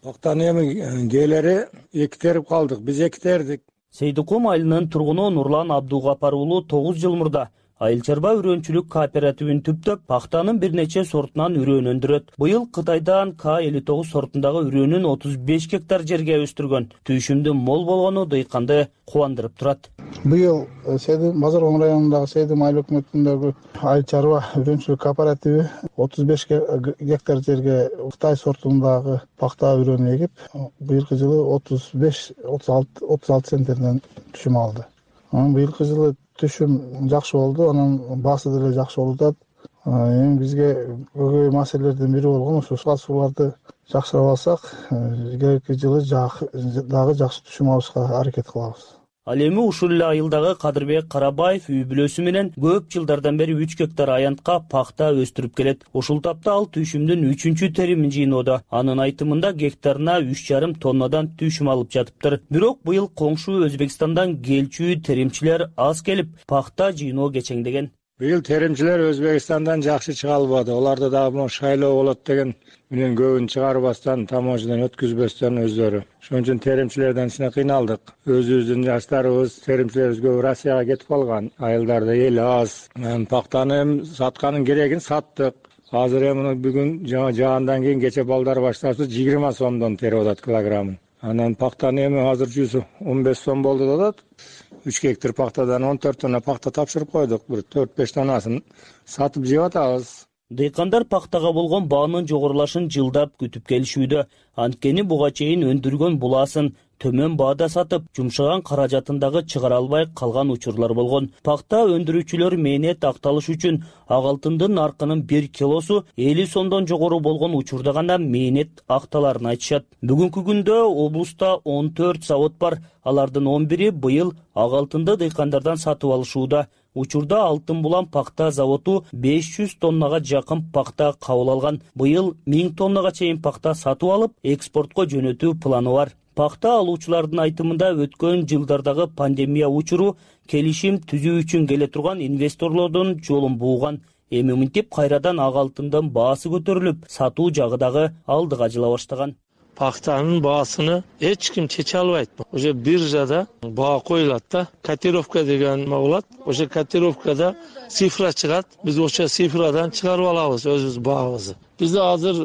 Speaker 9: Пактаны эми келери эктерип калдык, биз эктердик.
Speaker 11: Сейдикум айылынын тургуну Нурлан Абдугапар уулу 9 жыл мурда Айыл чарба үрөөнчүлүк кооперативин түптөп, пактанын бир нече сортунан үрөөн өндүрөт. Быйыл Кытайдан К59 сортундагы үрөөнүн 35 гектар жерге өстүргөн. Түйшүмдүн мол болгону дыйканды кубандырып турат.
Speaker 13: Быйыл Базаркон районундагы Сейдим айыл өкмөтүндөгү айыл чарба үрөөнчүлүк кооперативи 35 гектар жерге Кытай сортундагы пакта үрөөнү эгип, быйылкы жылы 35-36 центнерден түшүм алды. Быйылкы жылы түшүм жакшы болду, анан баасы деле жакшы болуп атат. Эми бизге көбөй маселелердин бири болгон ушу сууларды жакшырап алсак, келеки жылы дагы жакшы түшүм алышка аракет кылабыз.
Speaker 11: Ал эми ушул эле айылдагы Кадырбек Карабаев үй бүлөсү менен көп жылдардан бери 3 гектар аянтка пакта өстүрүп келет. Ушул тапта ал түйшүмдүн 3-чү теримин жыйноодо. Анын айтымында гектарына 3,5 тоннадан түйшүм алып жатыптыр. Бирок быйыл коңшу Өзбекстандан келчү теримчилер аз келип, пакта жыйноо кечеңдеген.
Speaker 9: Быйыл теримчилер Өзбекстандан жакшы чыга албады. Оларды дагы шайлоо болот деген менен көбүн чыгарбастан, таможнядан өткүзбөстөн өздөрү. Ошон үчүн теримчилерден сине кыйналдык. Өзүбүздүн жаштарыбыз, теримчилерибиз көп Россияга кетип калган. Айылдарда эл аз. Пактаны сатканын керегин саттык. Азыр эми бүгүн жаандан кийин кече балдар башташты 20 сомдон терип атат килограммын. Анан пактаны эми азыр 115 сом болду деп атат. 3 гектар пактадан 14 тонна пакта тапшырып койдук. Бир 4-5 тоннасын сатып жеп атабыз.
Speaker 11: Дыйкандар пактага болгон баанын жогорулашын жылдап күтүп келишүүдө. Анткени буга чейин өндүргөн булаасын төмөн баада сатып, жумшаган каражатындагы чыгара албай калган учурлар болгон. Пакта өндүрүүчүлөр мээнет акталыш үчүн ак алтындын наркынын 1 килосу 50 сомдон жогору болгон учурда гана мээнет акталарын айтышат. Бүгүнкү күндө облуста 14 завод бар. Алардын 11-и быйыл ак алтынды дыйкандардан сатып алышууда. Учурда Алтын Булан пакта заводу 500 тоннага жакын пакта кабыл алган. Быйыл 1000 тоннага чейин пакта сатып алып, экспортко жөнөтүү планы бар. Пакта алуучулардын айтымында өткөн жылдардагы пандемия учуру келишим түзүү үчүн келе турган инвесторлордун жолун бууган. Эми мынтип кайрадан ак алтындын баасы көтөрүлүп, сатуу жагы дагы алдыга жыла баштаган.
Speaker 22: Пактанын баасыны эч ким чече албайт. Уже биржада баа коюлат да, котировка деген болот. Ошо котировкада цифра чыгат. Биз ошо цифрадан чыгарып алабыз өзүбүз баабызды. Бизде азыр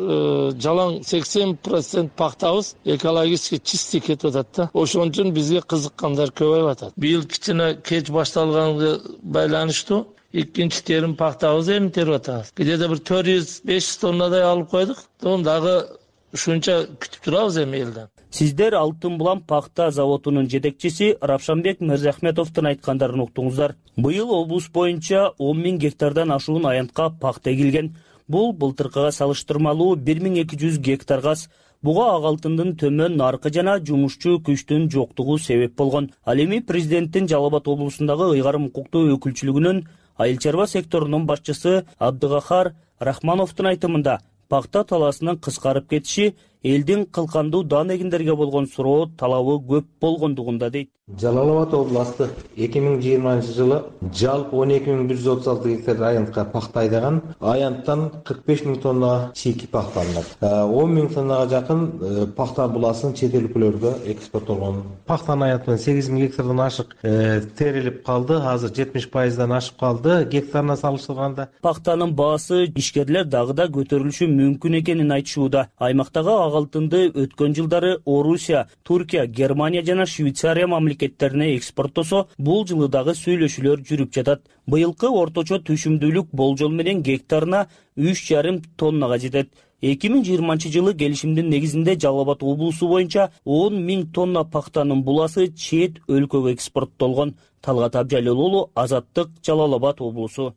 Speaker 22: жалаң 80% пактабыз экологически чистый кетип атат да. Ошон үчүн бизге кызыккандар көбөйүп атат. Быйыл кичине кеч башталганга байланыштуу экинчи терим пактабыз эми терип атабыз. Где-то бир 400-500 тоннадай алып койдук. Оны дагы ушунча күтүп турабыз эми элден.
Speaker 11: Сиздер Алтын Булам пахта заводунун жетекчиси Равшанбек Мырзахметовдун айткандарын уктуңуздар. Быйыл облус боюнча 10 000 гектардан ашуун аянтка пахта эгилген. Бул былтыркыга салыштырмалуу 1200 гектарга аз. Буга ак алтындын төмөн наркы жана жумушчу күчтүн жоктугу себеп болгон. Ал эми президенттин Жалал Абад облусундагы ыйгарым укуктуу өкүлчүлүгүнүн айыл чарба секторунун башчысы Абдыгахар Рахмановдун айтымында пахта талаасынын кыскарып кетиши элдин кылкандуу дан эгиндерге болгон суроо талабы көп болгондугунда дейт.
Speaker 14: Жалал Абад областы 2020 жылы жалпы 12.136 гектар аянтка пахта айдаган. Аянттан 45 000 тонна чийки пахта алынат. 10 000 тоннага жакын пахта буласын чет өлкөлөргө экспорттолгон. Пахтанын аянтынан 8 000 гектардан ашык терилип калды. Азыр 70%дан ашып калды гектарына салыштырганда.
Speaker 11: Пахтанын баасы ишкерлер дагы да көтөрүлүшү мүмкүн экенин айтышууда. Аймактагы ак алтынды өткөн жылдары Орусия, Туркия, Германия жана Швейцария мамлекеттерине экспорттосо, бул жылы дагы сүйлөшүүлөр жүрүп жатат. Быйылкы орточо түшүмдүүлүк болжол менен гектарына 3,5 тоннага жетет. 2020 жылы келишимдин негизинде Жалал Абад облусу боюнча 10 000 тонна пахтанын буласы чет өлкөгө экспорттолгон. Талгат Абжалил, Азаттык, Жалал Абад облусу.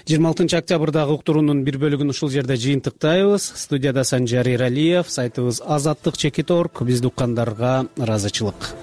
Speaker 2: 26 октябрдагы уктуруунун бир бөлүгүн ушул жерде жыйынтыктайбыз. Студияда Санжар Иралиев, сайтыбыз Азаттык.org. Бизди уккандарга ыраазычылык.